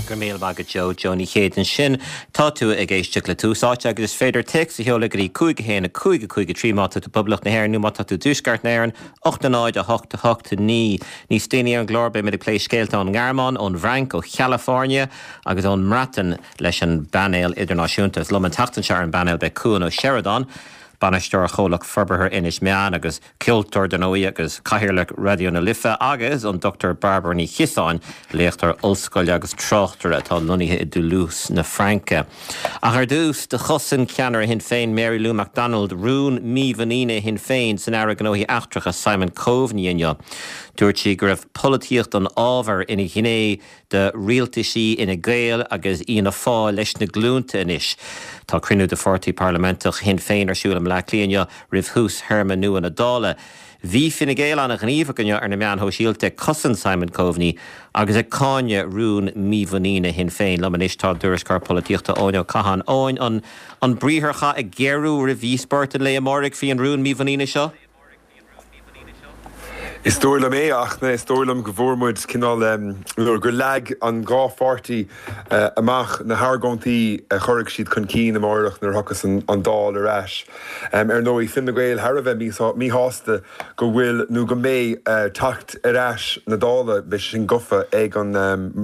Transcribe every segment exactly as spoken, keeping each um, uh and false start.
Go raibh míle maith agat Joe Joe Ní Chéide ansin tá tú ag éisteacht le Tús Áite agus is féidir téacs a sheoladh go dtí cúig a haon a cúig a cúig a trí má tá tú i bPoblacht na hÉireann nó má tá tú i dTuaisceart na hÉireann ocht a náid a hocht a hocht naoi. Níos déanaí ar an gclár beimid ag plé scéalta ón nGearmáin, ón bhFrainc, ó Chalafóirnia agus ón mBreatain leis an bpainéal idirnáisiúnta. Is liom an tseachtain seo ar an bpainéal beidh Cuan Ó Seireadáin, bainisteoir Chomhlacht Forbartha Inis Meáin agus ceoltóir den óí agus cathaoirleach Raidió na Life agus an Dr Barbara Ní Chiosáin, léachtóir ollscoile agus tráchtaire atá lonnaithe i Toulouse na Fraince. Ach ar dtús do chosain ceannaire Shinn Féin Mary Lou McDonald rún mímhuiníne Shinn Féin san Aire Gnóthaí Eachtracha Simon Coveney inniu. Dúirt sí go raibh polaitíocht an ábhair ina ghné de rialtaisí Fhine Gael agus Fhianna Fáil leis na glúnta anois. Tá cruinniú de pháirtí parlaiminteach Shinn Féin ar siúl i mBleá Cliath roimh thús théarma nua na Dála. Bhí Fine Gael an-ghníomhach inniu ar na meáin shóisialta ag cosaint Simon Coveney agus ag cáineadh rún mímhuiníne Shinn Féin liom anois tá tuairisceoir polaitíochta Eoin Ó Catháin Eoin an an briatharchath ag géarú roimh dhíospóireacht an lae amárach faoin rún mímhuiníne seo? Is dóigh liom é ach na is dóigh liom go bhfuair muid cineál gur leag an dhá pháirtí amach na hargóintí a chuirfidh siad chun cinn amárach nuair a thiocfas an Dáil ar ais. Ar ndóigh Fine Gael thar a bheith míshásta go bhfuil nó go mbeidh teacht ar ais na Dála beidh sin gafa ag an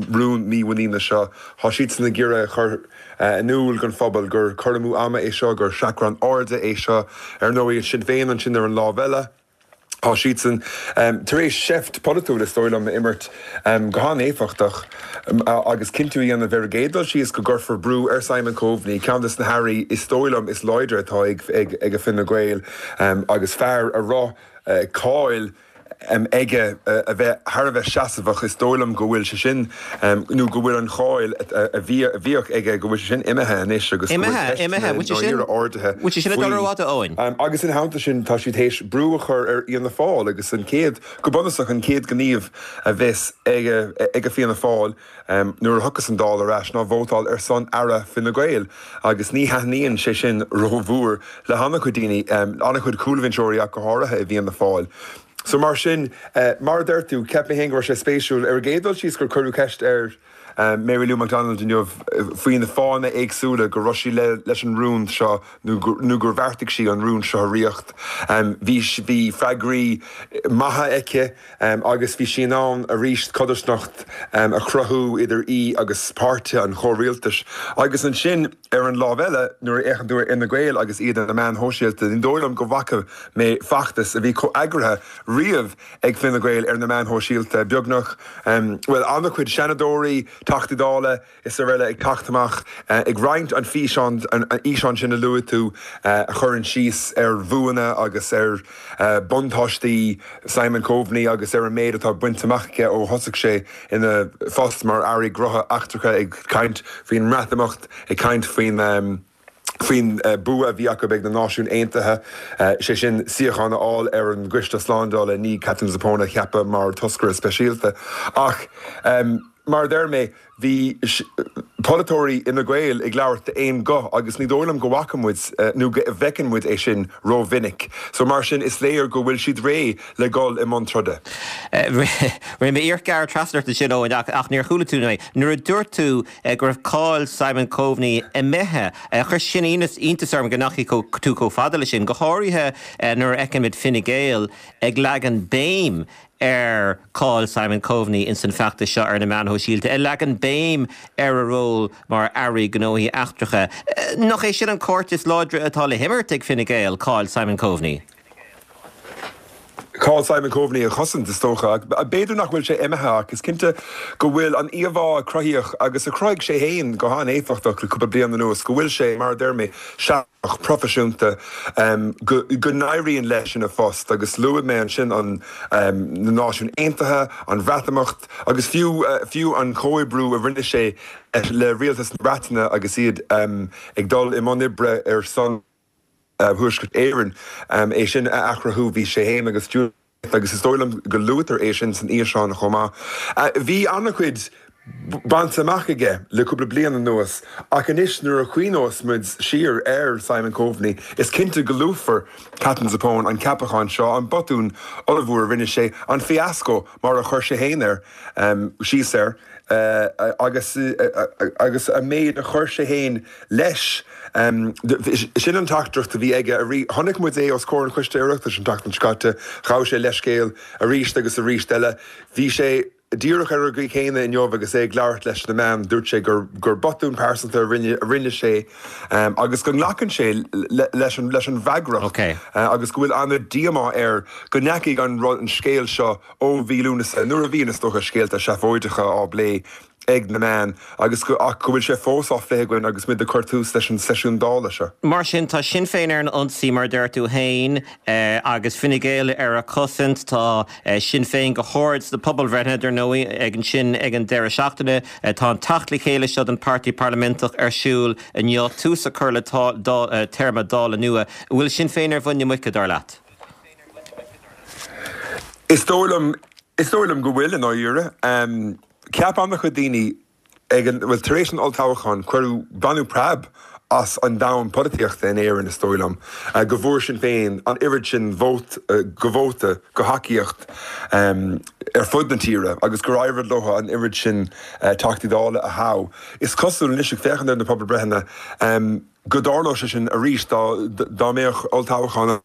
rún mímhuiníne seo. Tá siadsan ag iarraidh a chur in iúl don phobal gur cur amú ama é seo gur seachrán airde é seo ar ndóigh Sinn Féin ansin ar an lámh eile. Tá siadsan tar éis seift polaitiúil is dóigh liom a imirt go han-éifeachtach agus cinntiú a dhéanamh ar an gcéad dul síos go gcuirfear brú ar Simon Coveney, ceann de na hairí is dóigh liom is láidre atá ag ag ag Fine Gael agus fear a raibh cáil aige a bheith thar a bheith seasmhach is dóigh liom go bhfuil sé sin nó go bhfuil an cháil a bhíodh aige go bhfuil sé sin imithe anois agus ardaithe sin agus ina theannta sin tá siad théis brú a chur ar Fhianna Fáil agus an chéad go bunúsach an chéad ghníomh a bheas ag ag Fianna Fáil nuair a thiocfas an Dáil ar ais ná vótáil ar son aire Fine Gael agus ní thaitníonn sé sin rómhór le han-chuid daoine an-chuid cúlbhinseoirí ach go háirithe i bhFianna Fáil. So mar sin mar a deir tú cheap mé féin go raibh sé spéisiúil ar an gcéad dul síos gur cuireadh ceist ar Mary Lou McDonald inniu faoi na fáthanna éagsúla go raibh sí le leis an rún seo nó nó gur bheartaigh sí an rún seo a rith. Bhí bhí freagraí maithe aici agus bhí sí in ann arís codarsnacht a chruthú idir í agus páirtithe an chomhrialtais. Agus ansin ar an lámh eile nuair a fhéachann tú ar Fhine Gael agus iad ar na meáin shóisialta, ní dóigh liom go bhfaca mé feachtas a bhí chomh heagraithe riamh ag Fine Gael ar na meáin shóisialta beagnach well an-chuid seanadóirí, Teachtaí Dála is araile ag teacht amach ag roinnt an físeán an fhíseán sin a luaigh tú a chuireann síos ar bhuanna agus ar buntáistí Simon Coveney agus ar an méid atá bainte amach aige ó thosaigh sé ina phost mar aire gnóthaí eachtracha ag caint faoin mBreatimeacht ag caint faoin faoin bua a bhí acu ag na Náisiúin Aontaithe sé sin suíochán a fháil ar an gCoiste Slándála ní Catherine Zappone a cheapadh mar toscaire speisialta ach um, mar deir mé bhí polaiteoirí Fhine Gael ag labhairt d'aon ghuth agus ní dóigh liom go bhfaca muid nó go bhfeiceann muid é sin rómhinic. So mar sin is léir go bhfuil siad réidh le dul i mbun troda. Rinne mé iarracht gearradh trasna ort sin Eoin ach níor chuala tú mé. Nuair a dúirt tú go raibh cáil Simon Coveney imithe, chuir sin iontas orm go ndeachaigh tú chomh fada leis sin, go háirithe nuair a fheicimid Fine Gael ag leagan béim ar cáil Simon Coveney in san feachtas seo ar na meáin shóisialta, ag leagan béim ar a ról mar aire gnóthaí eachtracha. Nach é sin an cárta is láidre atá le himirt ag Fine Gael, cáil Simon Coveney. Cáil Simon Coveney a chosaint is dócha, b'fhéidir nach bhfuil sé imithe ach is cinnte go bhfuil an íomhá a cruthaíodh agus a chruthaigh sé féin go han-éifeachtach le cúpla bliain anuas go bhfuil sé mar a deir mé seach proifisiúnta go go n-éiríonn leis ina phost agus luaigh mé ansin an na Náisiúin Aontaithe, an Bhreatimeacht agus fiú fiú an comhoibriú a rinne sé le rialtas na Breataine agus iad ag dul i mbun oibre ar son Thuaisceart Éireann é sin a athchruthú bhí sé féin agus agus is dóigh liom go luaitear é sin san fhíseán chomh maith. Bhí an-chuid bainte amach aige le cúpla bliain anuas, ach anois nuair a chuimhneos muid siar ar Simon Coveney, is cinnte go luafar Katherine Zappone, an ceapachán seo, an botún ollmhór a rinne sé, an fiasco mar a chuir sé féin air síos air, agus agus an méid a chuir sé féin leis. Sin an teachtaireacht a bhí aige. Chonaic muid é os comhair an Choiste Oireachtais an tseachtain seo caite, ghabh sé leithscéal arís agus arís eile. Bhí sé díreach ar an gcaoi chéanna inniu agus é ag labhairt leis na meáin, dúirt sé gur gur botún pearsanta a rinne a rinne sé agus go nglacann sé leis an leis an bhfreagracht agus go bhfuil an-díomá air go ndeachaigh an rud an scéal seo ó mhí Lúnasa nuair a bhí is dócha scéalta seafóideacha á bplé ag na meáin agus go ach go bhfuil sé fós á phlé againn agus muid ag cur tús leis an seisiún Dála seo. Mar sin, tá Sinn Féin ar an ionsaí, mar a deir tú féin, agus Fine Gael ar a cosaint. Tá Sinn Féin go hard sna pobalbhreitheanna, dar ndóigh, ag ansin ag an deireadh seachtaine. Tá an teacht le chéile seo den Páirtí Parlaiminteach ar siúl inniu, tús a chur le téarma Dála nua. An bhfuil Sinn Féin ar mhuin na muice, dar leat? Is dóigh liom, is dóigh liom go bhfuil, i ndáiríre. Cheap an-chuid daoine ag an, bhuel, tar éis an olltoghcháin, cuireadh, baineadh preab as an domhan polaitíochta in Éirinn, is dóigh liom, go bhfuair Sinn Féin an oiread sin vót, go vóta, go thacaíocht ar fud na tíre agus gur éirigh leo an oiread sin Teachtaí Dála a thoghadh. Is cosúil anois, ag féachaint ar na pobalbreitheanna, go dtarlódh sé sin arís dá dá mbeadh olltoghchán ann.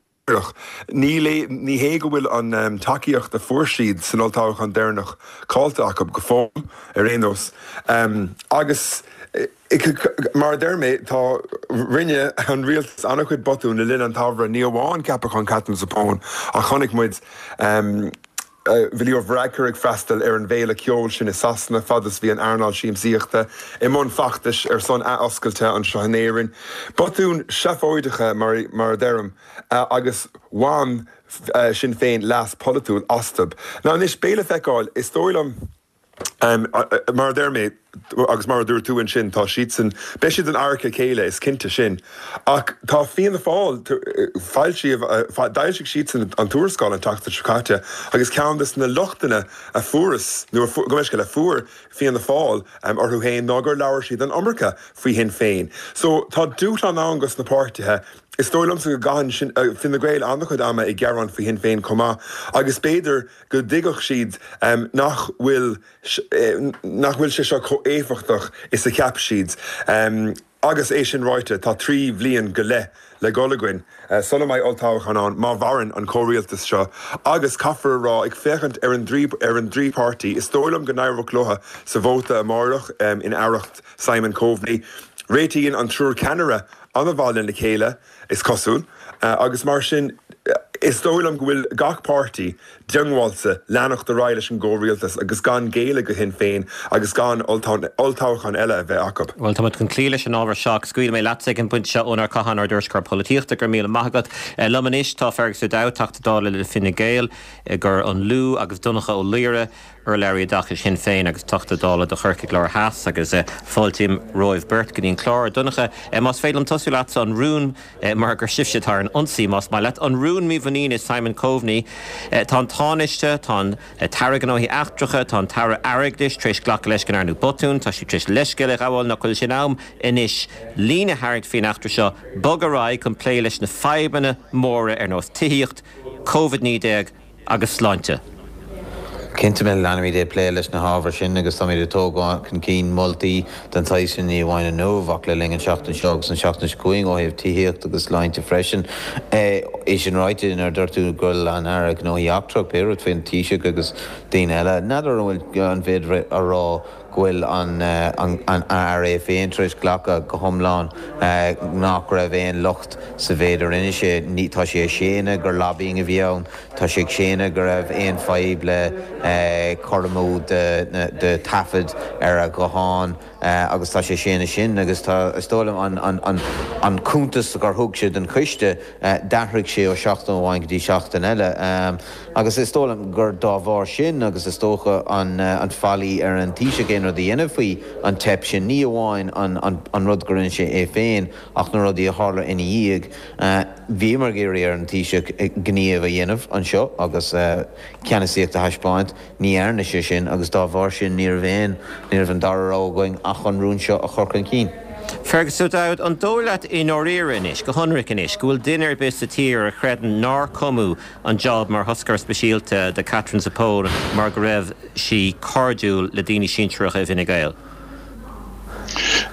Ní ní hé go bhfuil an tacaíocht a fuair siad san olltoghchán deireanach caillte acu go fóill, ar aon nós. Agus mar a deir mé, tá, rinne an rialtas an-chuid botún le linn an tsamhraidh, ní amháin ceapachán Katherine Zappone ach chonaic muid bhí Leo Varadkar ag freastal ar an bhféile ceoil sin i Sasana fad is bhí an earnáil siamsaíochta i mbun feachtais ar son athoscailte anseo in Éirinn. Botúin seafóideacha mar a deirim agus bhain Sinn Féin leas polaitiúil astu. Now anois, beidh le feiceáil, is dóigh liom, Mar a deir mé, agus mar a dúirt tú ansin, tá siadsan, beidh siad in adharca a chéile, is cinnte sin. Ach tá Fianna Fáil, foilsíodh, d'fhoilsigh siadsan an tuarascáil an tseachtain seo caite agus ceann de na lochtanna a fuarthas, nó gabh mo leithscéal, a fuair Fianna Fáil orthu féin ná gur labhair siad an iomarca faoi Shinn Féin. So tá dúshlán ann dos na páirtithe. Is dóigh liomsa go gcaitheann Fine Gael an-chuid ama ag gearán faoi Shinn Féin chomh maith agus b'fhéidir go dtuigfeadh siad nach bhfuil nach bhfuil sé seo chomh éifeachtach is a cheap siad. Agus é sin ráite, tá trí bhliain go leith le dul againn sula mbeidh olltoghchán ann, má mhaireann an comhrialtas seo. Agus caithfear a rá, ag féachaint ar an ar an dtrí páirtí, is dóigh liom go n-éireoidh leo sa vóta amárach in aireacht Simon Coveney. Réitíonn an triúr ceannaire an-mhaith lena chéile, is cosúil, agus mar sin, is dóigh liom go bhfuil gach páirtí diongbháilte leanacht ar aghaidh leis an gcomhrialtas agus gan géilleadh do Shinn Féin agus gan olltoghchán eile a bheith acu. Bhuel, tá muid chun cloí leis an ábhar seo ach scaoilfidh mé leatsa ag an bpointe seo, Eoin Ó Catháin, ár dtuairisceoir polaitíochta, go raibh míle maith agat. Liom anois tá Fergus O'Dowd, Teachta Dála le Fine Gael i gCor an Lú agus Donncha Ó Laoghaire, Urlabhraí Oideachais Shinn Féin agus Teachta Dála do Chorcaigh Láir Theas agus fáiltím romhaibh beirt go dtí an clár. A Dhonncha, más féidir liom tosú leatsa, an rún, mar gur sibhse atá ar an ionsaí, más maith leat, an rún mímhuiníne Simon Coveney. Tá an Tánaiste, tá an tAire Gnóthaí Eachtracha, tá an tAire Airgeadais tar éis glacadh leis go ndearnadh botún, tá siad tar éis leithscéal a ghabháil, nach bhfuil sé in am anois líne a tharraingt faoin eachtra seo, bogadh ar aghaidh chun plé leis na fadhbanna móra ar nós tithíocht, Covid naoi déag agus sláinte? Cinnte, leanfaimid ag plé leis na hábhair sin agus táimid ag tógáil chun cinn moltaí den tsaghas sin ní amháin inniu ach le linn an tseachtain seo agus an tseachtain seo chugainn ó thaobh tithíocht agus sláinte freisin. É sin ráite, nuair a dúirt tú go bhfuil an Aire Gnóthaí Eachtrach, pé rud faoin Taoiseach agus daoine eile, n'fheadar an bhfuil an féidir a rá go bhfuil an Aire é féin tar éis glacadh go hiomlán nach raibh aon locht sa mhéid a rinne sé. Tá sé ag séanadh gur lobbying a bhí ann, tá sé ag séanadh go raibh aon fadhb le cur amú de taifead ar a ghuthán. agus tá sé séanta sin agus tá is dóigh liom an, an, an, an cuntas gur thug sé don choiste d'athraigh sé ó seachtain amháin go dtí seachtain eile. Agus is dóigh liom gur dá bharr sin agus is dócha an, an faillí ar an Taoiseach aon rud a dhéanamh faoi an teip sin, ní amháin an, an, an rud gur rinne sé é féin ach na rudaí a tharla ina dhiaidh. Bhíomar ag iarraidh ar an Taoiseach gníomh a dhéanamh anseo agus ceannasaíocht a thaispeáint. Ní dhearna sé sin agus dá bharr sin ní raibh aon, ní raibh an dara rogha againn ach an rún seo a chur chun cinn. Fergus O'Dowd, an dóigh leat i ndáiríre anois, go hionraic anois, go bhfuil duine ar bith sa tír a chreideann nár cumadh an job mar thoscaire speisialta do Katherine Zappone mar go raibh sí cairdiúil le daoine sinsearacha i bhFine Gael?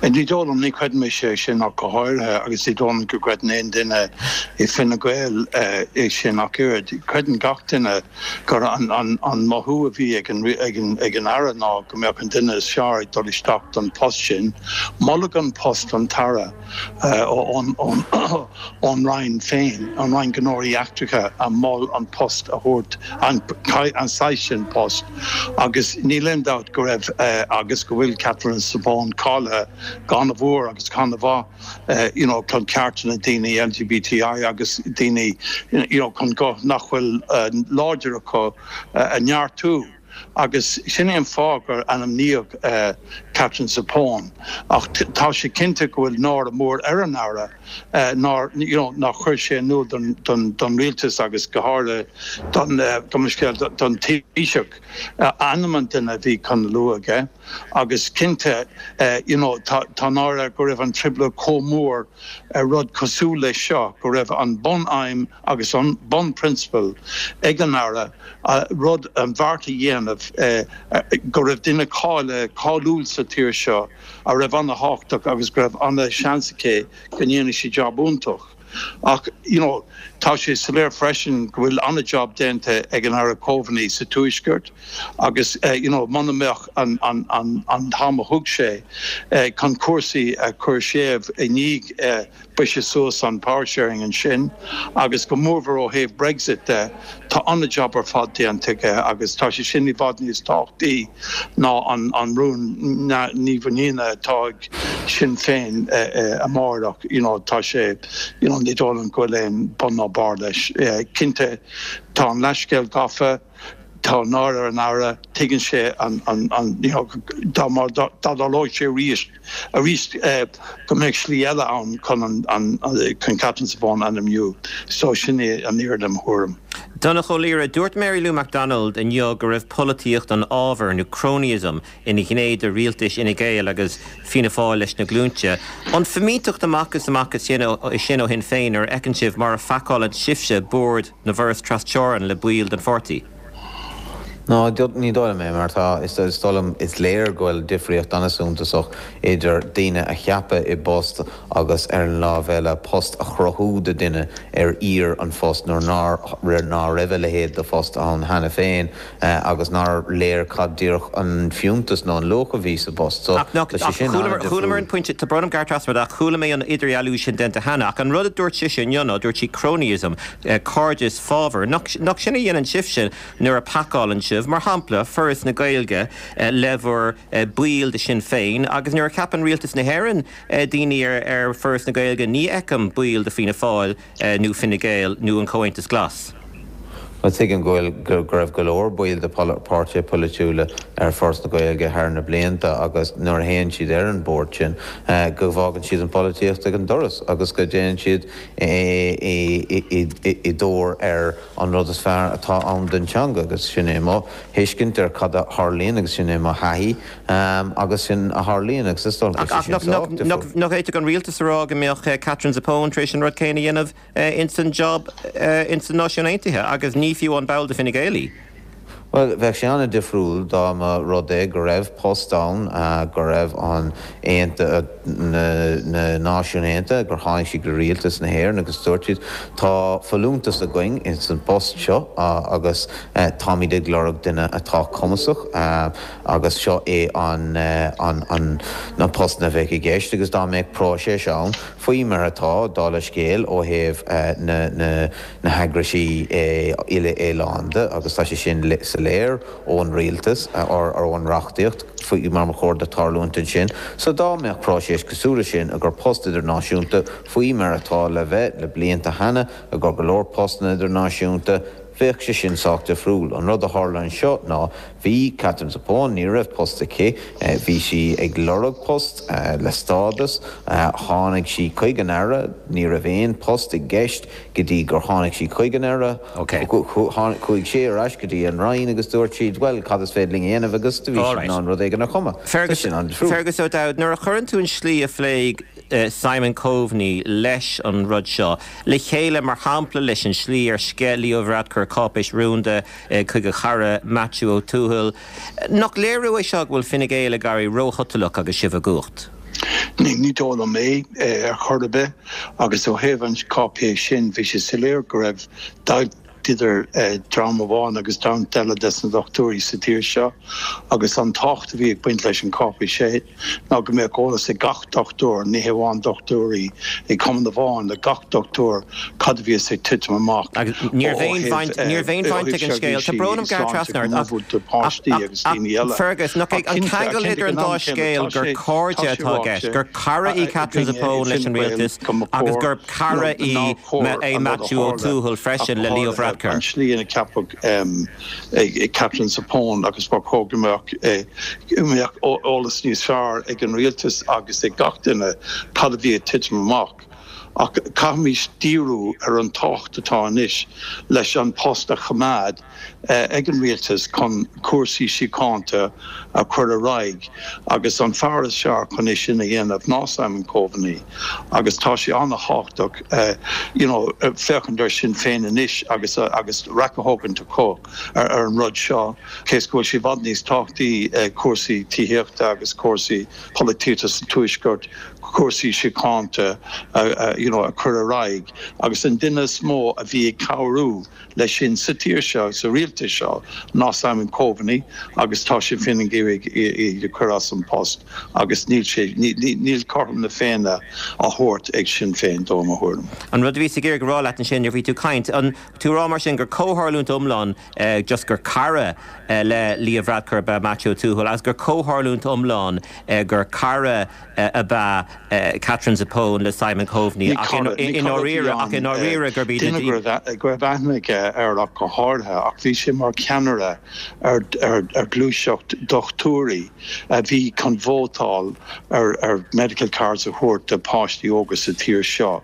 Ní dóigh liom, ní chreideann mise é sin ach go háirithe, agus ní dóigh liom go gcreideann aon duine i Fine Gael é sin ach oiread. Creideann gach duine gur an an mothú a bhí ag an ag an ag an Aire ná go mbeadh an duine is fearr ag dul isteach don post sin. Moladh an post don tAire ón ón ón Roinn féin, an Roinn Gnóthaí Eachtracha a mhol an post a thabhairt, an an saghas sin post. Agus níl aon dabht go raibh agus go bhfuil Katherine Zappone cáilithe go han-mhór agus go han-mhaith you know chun cearta na daoine LGBTI agus daoine you know chun guth nach bhfuil láidir acu a neartú. Agus sin é an fáth gur ainmníodh Katherine Zappone. Ach tá sé cinnte go bhfuil náire mór ar an Aire nár you know nár chuir sé in iúl don don don rialtas agus go háirithe don don scéal don Taoiseach ainm an duine a bhí chun lua aige. Agus cinnte you know tá tá náire air go raibh an trioblóid chomh mór ar rud cosúil leis seo, go raibh an bun-aidhm agus an bun-prionsabal ag an Aire rud an bheart a dhéanamh go raibh duine cáilithe, cáiliúil sa tír seo a raibh ana-thábhachtach agus go raibh ana-sheans aici go ndéanfaidh sí jab iontach. Ach you know tá sé soiléir freisin go bhfuil an-jab déanta ag an Aire Coveney sa Tuaisceart agus you know muna mbeadh an an an an t-am a thug sé chun cúrsaí a chur séimh i ndiaidh briseadh suas an power sharing ansin agus go mórmhór ó thaobh Brexit de, tá an-jab ar fad déanta aige agus tá sé sin i bhfad níos tábhachtaí ná an an rún neamh-mhuiníne atá ag Sinn Féin amárach. You know tá sé you know ní dóigh liom go bhfuil aon bun ná barr leis. Cinnte tá an leithscéal gafa, tá náire ar an Aire, tuigeann sé an an an you know dá mar dá dtarlódh sé arís arís go mbeadh slí eile ann chun an an chun Katherine Zappone a ainmniú. So sin é an fhírinne i mo thuairim. Donncha Ó Laoghaire, Dúirt Mary Lou McDonald inniu go raibh polaitíocht an fhábhair nó cronyism ina ghné de rialtais Fhine Gael agus Fianna Fáil leis na glúinte. An fimínteacht amach is amach é sin ó Shinn Féin nuair a fheiceann sibh mar a phacálann sibhse bord na bhforas trasteorann le baill den pháirtí? No, ní dóigh liom é, mar tá, is dóigh liom, is léir go bhfuil difríocht an-suntasach idir daoine a cheapadh i bpost agus ar an lámh eile post a chruthú do duine ar iarr an phost nuair nár ná raibh a leithéid de phost ann cheana féin agus nár léir cad díreach an fiúntas nó an luach a bhí sa bpost. So, Ach tá sé sin an-difriúil. Chualamar an pointe, tá brón orm gearradh trasna ort ach chuala mé an idirdhealú sin déanta cheana ach an rud a dúirt sise inniu ná dúirt sí cronyism, cairdeas fábhair. Nach sin a dhéanann sibhse nuair a phacálann sibh, mar shampla, Foras na Gaeilge le bhur baill de Shinn Féin agus nuair a cheapann Rialtas na hÉireann daoine ar Foras na Gaeilge ní fheicim baill de Fianna Fáil nó Fine Gael nó an Comhaontas Glas. Bhuel, tuigim go bhfuil, go raibh go leor baill de pháirtithe polaitiúla ar Foras na Gaeilge thar na blianta agus nuair a théann siad ar an bord sin go bhfágann siad an pholaitíocht ag an doras agus go dtéann siad i dtóir ar an rud is fearr atá ann don teanga agus sin é mo thuiscint ar cad a tharlaíonn agus sin é mo thaithí agus sin a tharlaíonn agus is dóigh liom go bhfuil sé sin sách difriúil. Nach bhféadfadh an rialtas a rá go mbeadh Katherine Zappone tar éis an rud céanna a dhéanamh ins an job ins na Náisiúin Aontaithe agus ní fiú an ball de Fine Gael í? Bhuel, bheadh sé an-difriúil dá mba rud é go raibh post ann, go raibh an na Náisiúin Aontaithe, gur tháinig siad go rialtas na hÉireann agus dúirt siad, tá folúntas againn ins an bpost seo agus táimid ag lorg duine atá cumasach agus seo é an an an post a bheadh i gceist agus dá mbeadh próiseas ann faoi mar atá, dála scéil, ó thaobh na na na heagraisí uile-oileánda agus tá sé sin sa soiléir ón rialtas or ón reachtaíocht faoi mar ba chóir do tarlúint ansin. So dá mbeadh próiseas cosúil leis sin i gcomhair post idirnáisiúnta faoi mar atá le bheith le blianta cheana i gcomhair go leor postanna idirnáisiúnta, bheadh sé sin sách difriúil. An rud a tharla anseo ná bhí Katherine Zappone, ní raibh post aici, bhí sí ag lorg post le stádas, tháinig sí chuig an Aire, ní raibh aon post i gceist go dtí gur tháinig sí chuig an Aire, chuaigh sé ar ais go dtí an Roinn agus dúirt siad, bhuel, cad is féidir linn a dhéanamh agus do bhí siad in ann rud éigin a chumadh. Sin an difriúil. Fergus O'Dowd, nuair a chuireann tú an slí a phléigh Simon Coveney leis an rud seo le chéile, mar shampla leis an slí ar sceith Leo Varadkar cáipéis rúnda chuig a chara Maitiú Ó Tuathail, nach léiriú é seo go bhfuil Fine Gael ag éirí róshotalach agus sibh i gcumhacht? Ní dóigh liom é ar chor ar bith agus ó thaobh an cháipéis sin bhí sé soiléir go raibh deighilt idir dream amháin agus dream eile des na dochtúirí sa tír seo agus an tábhacht a bhí ag baint leis an cháipéis sin ná go mbeadh eolas ag gach dochtúir, ní hamháin dochtúirí ag cumann amháin, ag gach dochtúir cad a bhíos ag titim amach Agus ní raibh aon bhaint, ní raibh aon bhaint ag an scéal. Tá brón orm gearradh trasna ort ach, ach, ach, Fergus, nach é an ceangal idir an dá scéal gur cairde atá i gceist, gur cara í Katherine Zappone leis an rialtas agus gur cara í é Maitiú Ó Tuathail freisin le Leo Varadkar. An tslí ina ceapadh Katherine Zappone agus ba chóir go mbeadh eolas níos fearr ag an rialtas agus ag gach duine cad a bhí ag titim amach. Ach caithfimid díriú ar an tábhacht atá anois leis an post a choimeád ag an rialtas chun cúrsaí síochánta a chur ar aghaidh agus an fear is fearr chun é sin a dhéanamh ná Simon Coveney agus tá sé an-thábhachtach you know féachaint ar Sinn Féin anois agus agus raic a thógaint acu ar an rud seo cé is go bhfuil sé i bhfad níos tábhachtaí cúrsaí tithíochta agus cúrsaí polaitíochta sa Tuaisceart cúrsaí síochánta you know a chur ar aghaidh agus an duine is mó a bhí ag cabhrú leis sin sa tír seo, sa rialtas seo, ná Simon Coveney agus tá Sinn Féin ag iarraidh é a chur as an post agus níl sé, níl cothrom na Féinne á thabhairt ag Sinn Féin dó, i mo thuairim. An rud a bhíos ag iarraidh a rá leat ansin nuair a bhí tú ag caint, an tú a rá mar sin gur comhtharlúint iomlán just gur cara le Leo Varadkar ab ea Maitiú Ó Tuathail agus gur comhtharlúint iomlán gur cara ab ea Katherine Zappone le Simon Coveney ach i ndáiríre ach i ndáiríre gurb iad na Duine go raibh aithne aige air ach go háirithe ach bhí sé mar cheannaire ar ar ghluaiseacht dochtúirí a bhí chun vótáil ar ar medical cards a thabhairt do pháistí óga sa tír seo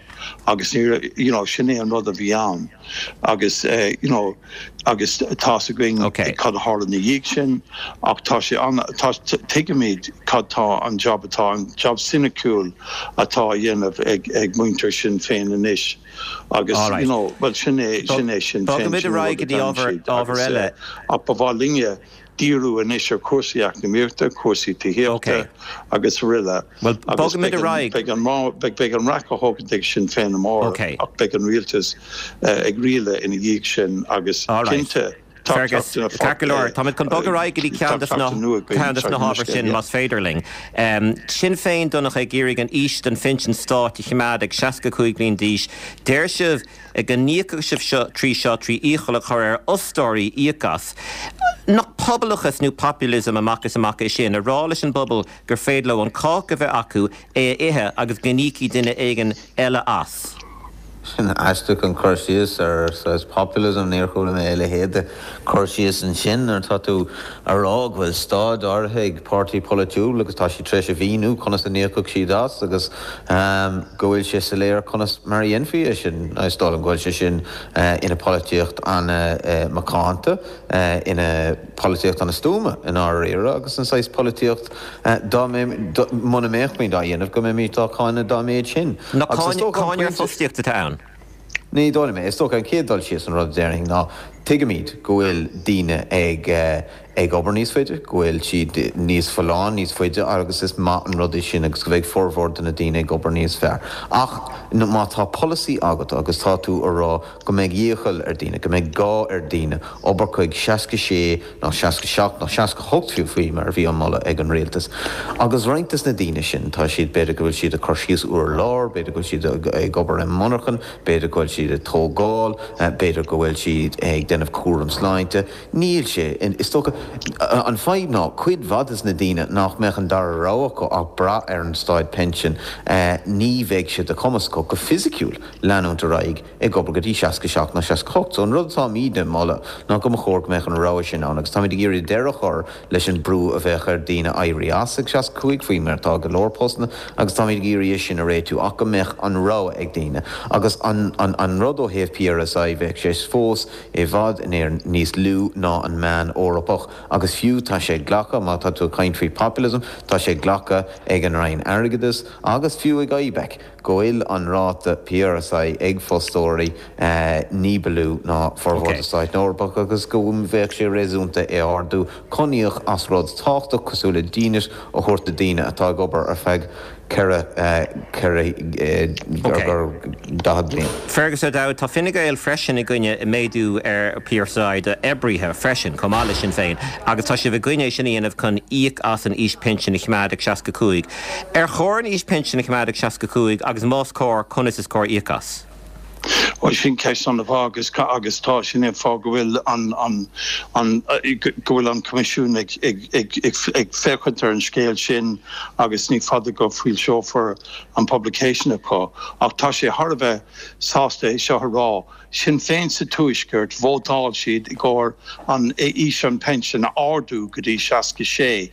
agus ní you know sin é an rud a bhí ann agus you know agus tá's againn cad a tharla ina dhiaidh sin ach tá sé an tá tuigimid cad tá an job atá an job soiniciúil atá á dhéanamh ag ag muintir Sinn Féin anois agus you know bhuel sin é sin é Sinn Féin Bogfaimid sin ar an aghaidh rud go a dtí deireann ábhar siad ábhar agus eile. ach ba mhaith linne díriú anois ar chúrsaí eacnamaíochta, cúrsaí tithíochta agus araile Bhuel, agus bogfaimid beidh ar an, aghaidh. beidh an, beidh, beidh an raic á thógaint ag Sinn Féin amárach Ok. ach beidh an rialtas ag rialadh ina dhiaidh sin agus All right. cinnte tá Fergus, teacht ina ceart go leor, táimid chun bogadh ar aghaidh go dtí tá ceann des na, teacht nua againn ceann des tar na éis hábhair scéal, sin, yeah. más féidir linn. Sinn Féin, Donncha, ag iarraidh an aois don phinsean stáit a choimeád ag seasca cúig bliain d'aois. Deir sibh go n-íocfadh sibh seo trí seo trí iachall a chur ar fhostóirí íoc as. Nach pobalachas nó populism amach is amach é sin, a rá leis an bpobal gur féidir leo an cáca a bheith acu, é a ithe agus go n-íocfaidh duine éigin eile as? Sin aisteach an cur síos ar saghas populism, níor chuala mé a leithéid de chur síos ansin nuair atá tú a rá go bhfuil staid áirithe ag páirtí polaitiúil agus tá siad tar éis a mhíniú conas a n-íocfadh siad as agus go bhfuil sé soiléir conas mar a dhéanfaí é sin. Is dóigh liom go bhfuil sé sin ina pholaitíocht an-mhacánta, ina polaitíocht an-stuama i ndáiríre agus an saghas polaitíocht dá muna mbeimid á dhéanamh go mbeimid á cáineadh dá mhéad sin. Nach cáineadh ar fostaíocht atá ann? Ní dóigh liom é. Is dócha an chéad dul síos an rud a déarfainn ná tuigimid go bhfuil daoine ag ag obair níos faide, go bhfuil siad níos folláine níos faide agus is maith an rud é sin agus go bheidh formhór de na daoine ag obair níos fearr. Ach má tá polasaí agat agus tá tú a rá go mbeidh iachall ar daoine, go mbeidh gá ar daoine obair chuig seasca sé nó seasca seacht nó seasca hocht fiú faoi mar a bhí an moladh ag an rialtas. Agus roinnt des na daoine sin tá siad b'fhéidir go bhfuil siad ag cur síos urlár, b'fhéidir go bhfuil siad ag obair i monarchan, b'fhéidir go bhfuil siad ag tógáil, b'fhéidir go bhfuil siad ag déanamh cúram sláinte. Níl sé is dócha an fadhb ná cuid mhaith des na daoine nach mbeadh an dara rogha acu ach brath ar an stáid pension ní bheidh sé de chumas acu go fisiciúil leanúint ar aghaidh ag obair go dtí seasca seacht nó seasca hocht. So an rud atáimid ag moladh ná go mba chóir go mbeadh an rogha sin ann agus táimid ag iarraidh deireadh a chur leis an brú a bheadh ar daoine éirí as ag seasca cúig faoi mar atá go leor postanna agus táimid ag iarraidh é sin a réitiú ach go mbeadh an rogha ag daoine. Agus an, an, an rud ó thaobh PRSI bheadh sé fós i bhfad in Éirinn níos lú ná an meán Eorpach agus fiú tá sé glactha má tá tú ag caint faoi populism, tá sé glactha ag an Roinn Airgeadais agus fiú ag IBEC go bhfuil an ráta PRSI ag fostóirí ní ba lú ná formhór de stáit na Eorpach agus go bheadh sé réasúnta é ardú chun íoc as rud tábhachtach cosúil le dínit a thabhairt do daoine atá ag obair ar feadh ceithre ceithre daichead bliain. Fergus O'Dowd, tá Fine Gael freisin i gcoinne méadú ar PRSI d'oibrithe freisin, chomh maith le Sinn Féin, agus tá sibh i gcoinne é sin a dhéanamh chun íoc as an aois pinsin a choimeád ag seasca cúig. Ar chóir an aois pinsin a choimeád ag seasca cúig agus más cóir, conas is cóir íoc as? Bhuel sin ceist an-mhaith agus agus tá sin an fáth go bhfuil an an an go bhfuil an Coimisiún ag ag ag ag ag féachaint ar an scéal sin agus ní fada go bhfoilseofar an publication acu ach tá sé thar a bheith sásta é seo a rá. Sinn Féin sa Tuaisceart vótáil siad i gcomhair an aois an pension a ardú go dtí seasca sé.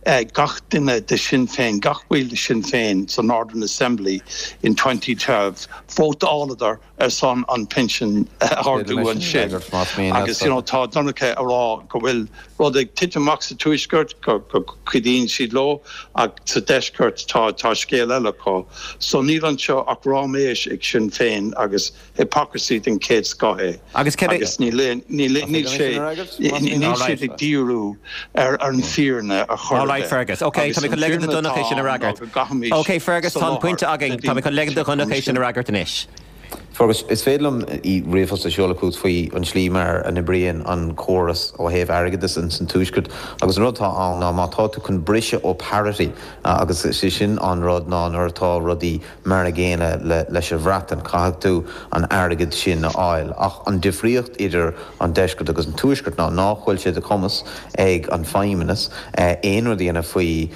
Gach duine de Sinn Féin, gach baill de Sinn Féin sa Northern Assembly in twenty twelve, vótáladar ar son an pinsean a ardú ansin. Agus you know tá Donncha a rá go bhfuil rud ag titim amach sa Tuaisceart, go go cuidíonn siad leo, ach sa Deisceart tá tá scéal eile acu. So níl anseo ach ráiméis ag Sinn Féin agus hypocrisy den chéad scoth é. Agus cé Agus níl níl níl sé níl siad ag díriú ar ar an fírinne a chur All right Fergus. Ok, tá mé chun ligean do Donncha é sin a fhreagairt. Ok Fergus, tá an pointe againn, tá mé chun ligean do Dhonncha é sin a fhreagairt anois. Fergus, is féidir liom ríomhphost a sheoladh chugat faoi an slí mar a n-oibríonn an córas ó thaobh airgeadais in san Tuaisceart agus an rud atá ann ná má tá tú chun briseadh ó parity agus is é sin an rud ná nuair atá rudaí mar a gcéanna le leis an Bhreatain caithfidh tú an airgead sin a fháil ach an difríocht idir an Deisceart agus an Tuaisceart ná nach bhfuil sé de chumas ag an Feidhmeannas aon rud a dhéanamh faoi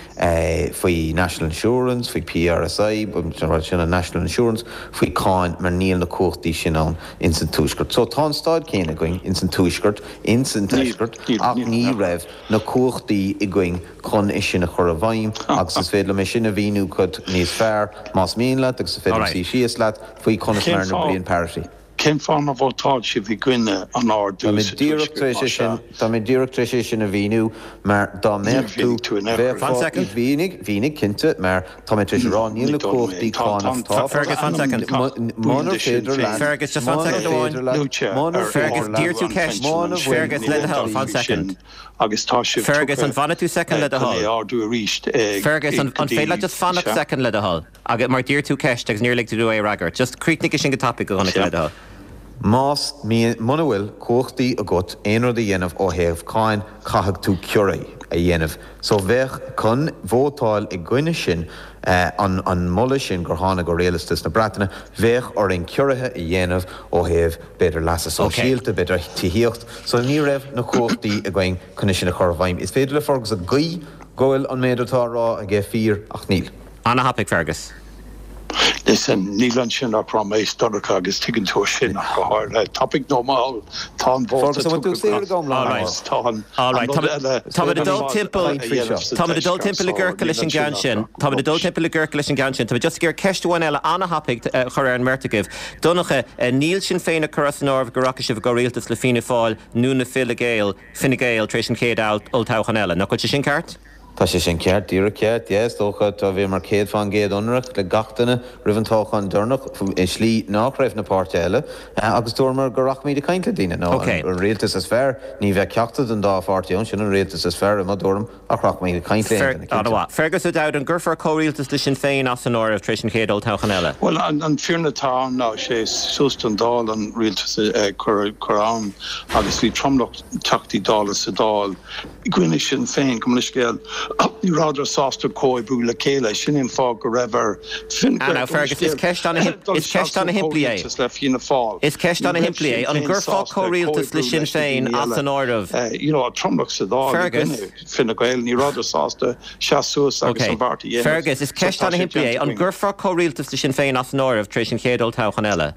faoi National Insurance, faoi PRSI, sin an National Insurance, faoi cáin mar níl na cumhachtaí sin ann ins an Tuaisceart. So tá an staid céanna againn ins an Tuaisceart, ins an Deisceart ach ní raibh na cumhachtaí againn chun é sin a chur i bhfeidhm agus is féidir liom é sin a mhíniú chugat níos fearr más mian leat agus is féidir liom suí síos leat faoi conas mar a n-oibríonn parity. Cén fáth nár vótáil sibh i gcoinne an ardú Tá mé sa díreach Tuaisceart, tar éis más é sin, ea? tá mé díreach tar éis é sin a mhíniú mar dá Níor mbeadh tú, mhínigh tú in aon chor. Fan bheifeá, second. mhínigh, mhínigh, cinnte, mar tá mé tar éis a rá, níl Ní na dóigh liom é. cumhachtaí Tá, tá, cánach tá, tá, Fergus, tá fan ainm second. gach baill munar de Sinn féidir leat, Féin Fergus, just fan munar second amháin. féidir leat, luaite munar ar Fergus, féidir leat, d'iarr tú ardú an ceist. phinsin muna ansin. bhfuil Fergus, Ní le do thoil, vótáil fan sin second. agus tá sibh Fergus, an tugtha bhfanfaidh tú second le do chun é thoil? ardú arís Fergus, an, go an féidir leat dtí just fanacht sea. second le do thoil? Agus mar d'iarr tú ceist agus níor lig tú é a fhreagairt. Just críochnaigh sin go tapaidh a Dhonncha Sea. le do thoil. Más muna bhfuil cumhachtaí agat aon rud a dhéanamh ó thaobh cáin caithfidh tú ciorruithe a dhéanamh. So bheadh chun vótáil i gcoinne sin an an moladh sin gur tháinig ó rialtas na Breataine, bheadh orainn ciorruithe a dhéanamh ó thaobh b'fhéidir leasa sóisialta, b'fhéidir tithíocht, so ní raibh na cumhachtaí againn chun é sin a chur i bhfeidhm. Is féidir le Fergus a ghuí go bhfuil an méid atá á rá aige fíor ach níl. Ana-thapaidh Fergus. Listen, níl ansin ach ráiméis Donncha agus tuigeann tú sin ach go háirithe. Tapaidh nó mall, tá an vóta Fergus, an bhfuil tú tugtha saor agam lá All right. agus tá an All right, rud eile Táimid ag dul ar fad timpeall a dhéanamh sa Táimid ag dul deisceart, timpeall i so gciorcal leis níl an ansin gceann ach sin. Táimid ag dul timpeall i gciorcal leis an gceann sin. Táimid just ag iarraidh ceist amháin eile ana-thapaidh a chur ar an mbeirt agaibh. Donncha, níl Sinn Féin ag cur as an áireamh go rachaidh sibh i gcomhrialtas le Fianna Fáil nó na Fine Gael, Fine Gael tar éis an chéad olltoghchán eile. Nach bhfuil sé sin ceart? Tá sé sin ceart, díreach ceart, yeah, is dócha tá bhíomar céad faoin gcéad ionraic le gach duine roimh an toghchán deireanach i slí nach raibh na páirtithe eile agus dúramar go rachaimid ag caint le daoine. Nó an rialtas is fearr, ní bheadh ceachtar den dá pháirtí ann, sin an rialtas is fearr i mo thuairim ach rachaimid ag caint le aon duine, cinnte. Fergus O'Dowd, an gcuirfear comhrialtas le Sinn Féin as an áireamh tar éis an chéad olltoghchán eile? Bhuel, an fírinne atá ann ná sé suas don Dáil an rialtas a chur ann agus bhí tromlach Teachtaí Dála sa Dáil i gcoinne Sinn Féin, gabh mo leithscéal, ní rabhadar sásta comhoibriú le chéile. Sin é an fáth go raibh ar Fine Ah, Gael now, Fergus, is ceist ana- is ceist ana-shimplí é. le Fianna Fáil. Is ceist Ní raibh ana-shimplí é. Sinn An Féin gcuirfeá sásta comhrialtas le comhoibriú Sinn leis na Féin daoine as eile. an áireamh? Eh, you know, tromlach sa Dáil i Fergus. gcoinne Fine Gael, ní rabhadar sásta seas suas agus Ok. an bheart a dhéanamh. Fergus, is So ceist tá sé ana-shimplí é. déanta An againn. gcuirfeá comhrialtas le Sinn Féin as an áireamh tar éis an chéad olltoghchán eile?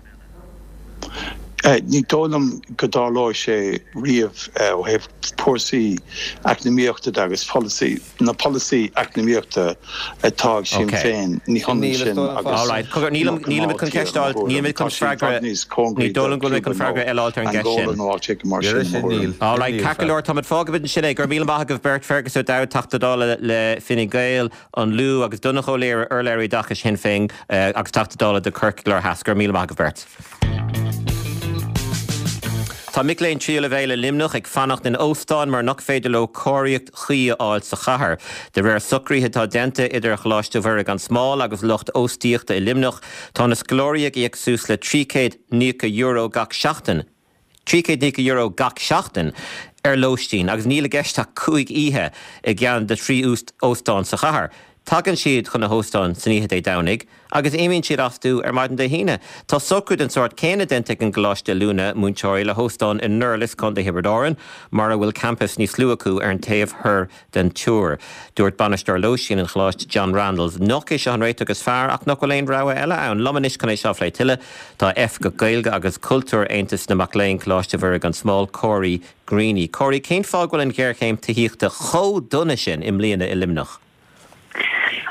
Eh, ní dóigh liom go dtarlóidh sé riamh eh, ó thaobh polasaí eacnamaíochta de agus polasaí na polasaí eacnamaíochta atá ag Sinn Féin ní hionann sin agus All right. Cogar, nílim nílimid chun ceist a fháil, nílimid chun freagra ní dóigh liom go bhfuil chun freagra eile a fháil ar an gceist sin. All right, ceart go leor, táimid fágfaimid ansin é, go raibh míle maith agaibh beirt Fergus O'Dowd, Teachta Dála le Fine Gael, an Lú agus Donnchadh Ó Laoghaire urlabhraí oideachais Shinn Féin eh, agus Teachta Dála do Corcaigh Láir Theas, go raibh míle maith agaibh beirt. Tá mic léinn tríú leibhéal i Luimneach ag fanacht in óstáin mar nach féidir leo cóiríocht chuí a fháil sa chathair. De réir socruithe atá déanta idir Choláiste Mhuire gan Smál agus lucht óstaíochta i Luimneach, tá na scoláirí ag íoc suas le trí chéad nócha euro gach seachtain. Trí chéad nócha euro gach seachtain ar lóistín agus níl i gceist ach cúig oíche i gceann de thrí óstán sa chathair. Tagann siad chun na hóstáin san oíche Dé Domhnaigh agus imíonn siad astu ar maidin Dé hAoine. Tá socrú den sórt céanna déanta ag an gColáiste Oiliúna Múinteoirí le hóstán i nDurlas Contae Thiobraid Árann, mar a bhfuil campas níos lú acu ar an taobh thoir den túr. Dúirt bainisteoir lóistín an choláiste John Randalls nach é seo an réiteach is fearr ach nach bhfuil aon rogha eile ann. Liom anois chun é seo a phlé tuilleadh tá Oifigeach Gaeilge agus Cultúr Aontas na Mac Léinn Coláiste Mhuire gan Smál Corey Greaney. Corey cén fáth go bhfuil an ghéarchéim tithíochta chomh dona sin i mbliana i Luimneach.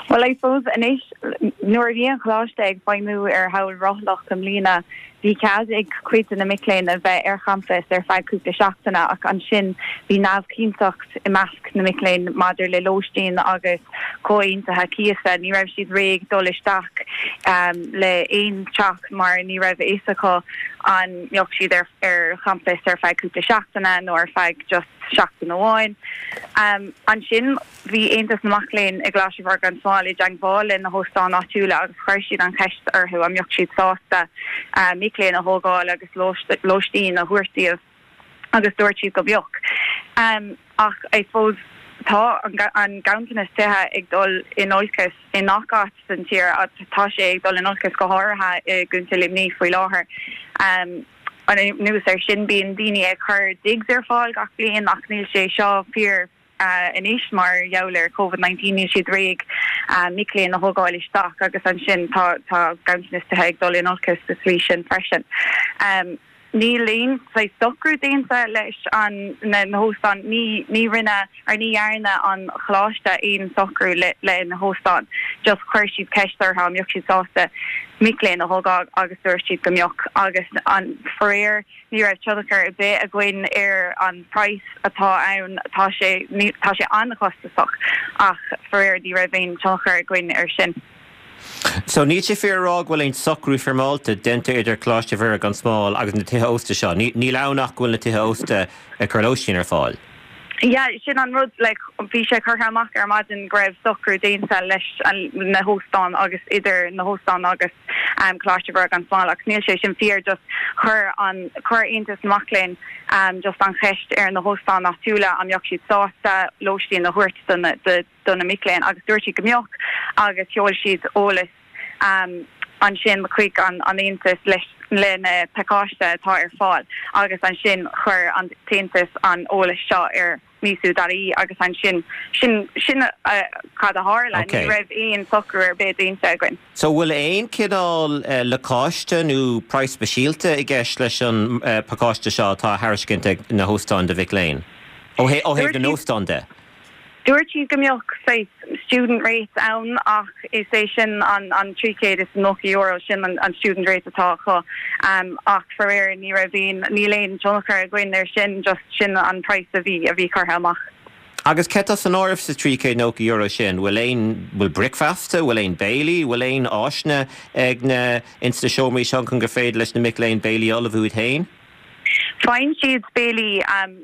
Well I suppose anois nuair a bhí an choláiste ag feidhmiú ar shamhail rothlach i mbliana bhí cead ag cuid de na mic léinn a bheith ar champas ar feadh cúpla seachtaine ach ansin bhí neamhchinnteacht i measc na mic léinn maidir le lóistín agus comhaontuithe cíosa ní raibh siad réidh dul isteach um, le aon teach mar ní raibh a fhios acu an mbeadh siad ar ar champas ar feadh cúpla seachtaine nó ar feadh just seachtain amháin. Um, ansin bhí Aontas na Mac Léinn i gColáiste Mhuire gan Smál i dteagmháil le na hóstáin áitiúla agus chuir siad an cheist orthu an mbeadh siad sásta uh, mic léinn a thógáil agus lóistín a thabhairt dóibh agus dúirt siad go mbeadh. Um, ach I suppose tá an, an ganntanas tithe ag dul in olcas i ngach áit san tír tá sé ag dul in olcas go háirithe i gContae Luimnigh faoi láthair. Um, anuas air sin bíonn daoine ag cur digs ar fáil gach bliain ach níl sé seo fíor uh, anois mar gheall ar COVID nineteen níl siad réidh uh, mic léinn a thógáil isteach agus ansin tá tá ganntanas tithe ag dul in olcas sa tslí sin freisin. Um, Níl aon socrú déanta leis an na hóstáin ní ní rinne ar ní dhearna an choláiste aon socrú le le na hóstáin. Just chuir siad ceist orthu an mbeadh siad sásta mic léinn a thógáil agus dúirt siad go mbeadh agus an faraor ní raibh tionchar ar bith againn ar an price atá ann tá sé tá sé an-chostasach ach faraor ní raibh aon tionchar againn ar sin. So níl sé fíor a rá go bhfuil aon socrú foirmeálta déanta idir Coláiste Mhuire gan Smál agus na tithe ósta seo. Níl ann ach go bhfuil na tithe ósta ag cur lóistín ar fáil. Yeah, sin an rud like, bhí sé curtha amach ar maidin go raibh socrú déanta leis na hóstáin agus idir na hóstáin agus um, Coláiste Mhuire gan Smál ach níl sé sin fíor just chuir an chuir Aontas na Mac Léinn um, just an cheist ar na hóstáin áitiúla an mbeadh siad sásta lóistín a thabhairt do na do na mic léinn agus dúirt siad go mbeadh agus sheol siad eolas um, ansin chuig an an Aontas leis le na pacáiste atá ar fáil agus ansin chuir an tAontas an eolas seo ar misu.ie agus ansin sin sin uh, cad a tharla Okay. ní raibh aon socrú ar bith déanta againn. So bhfuil aon cineál uh, lacáiste nó praghas speisialta i gceist leis an uh, pacáiste seo atá á thairiscint ag na hóstáin do mhic léinn? Ó hé ó thaobh na n-óstán de? Dúirt siad go mbeadh say student rate ann ach is é sin an an trí chéad is nócha euro sin an, an student rate atá acu um, ach faraor ní raibh aon níl aon tionchar againn ar sin just sin an price a bhí a bhí curtha amach. Agus céard atá san áireamh sa trí chéad nócha euro sin? Bhfuil aon, bhfuil bricfeasta, bhfuil aon béilí, bhfuil aon áiseanna ag na, ins na seomraí seo chun gur féidir leis na mic léinn béilí a ullmhú iad féin? Faigheann siad béilí,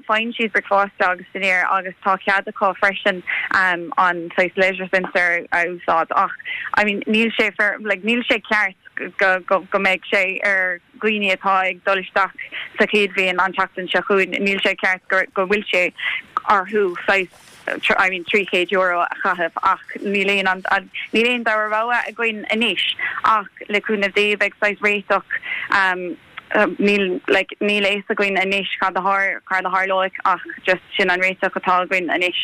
faigheann siad bricfeasta agus dinnéar agus tá cead acu freisin an saghas leisure centre a úsáid ach I mean níl sé fair, like níl sé ceart go, go, go mbeidh sé ar dhaoine atá ag dul isteach sa chéad bhliain an tseachtain seo chugainn, níl sé ceart go, go bhfuil sé orthu saghas I mean trí chéad euro a chaitheamh ach níl aon an, níl aon dara rogha againn anois ach le cúnamh Dé beidh saghas réiteach um, níl like níl a fhios againn anois cad a thar, cad a tharlóidh ach just sin an réiteach atá againn anois.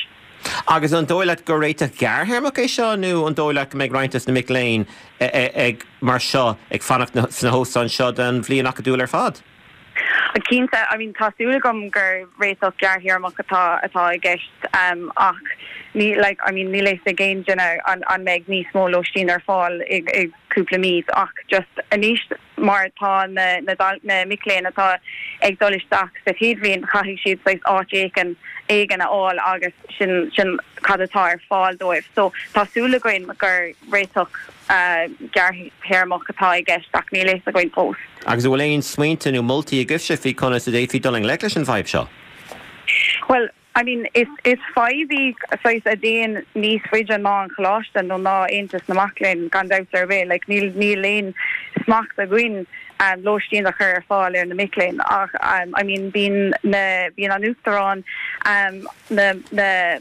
Agus an dóigh leat gur réiteach gearrthéarmach é seo nó an dóigh leat go mbeidh roinnt des na mic léinn ag mar seo ag fanacht sna hóstáin seo don bhliain acadúil ar fad? Cinnte, I mean tá súil agam gur réiteach gearrthéarmach atá atá i gceist um, ach ní like I mean níl a fhios ag aon duine an an mbeidh níos mó lóistín ar fáil i i cúpla mí ach just anois mar tá na na na mic léinn atá ag dul isteach sa chéad bhliain caithfidh siad saghas áit éigin éigin a fháil agus sin sin cad atá ar fáil dóibh. So tá súil againn gur réiteach uh, gearrthéarmach atá i gceist ach níl a fhios againn fós. Agus an bhfuil aon smaointe nó moltaí agaibhse faoi conas a d'fhéadfaí dul i ngleic leis an bhfadhb seo? Well, I mean is is fadhb í saghas a dtéann níos faide ná an choláiste nó ná Aontas na Mac Léinn gan dabht ar bith, like níl níl aon smacht againn um, lóistín a chur ar fáil ar na mic léinn ach um, I mean bíonn na bíonn an uachtarán um, na na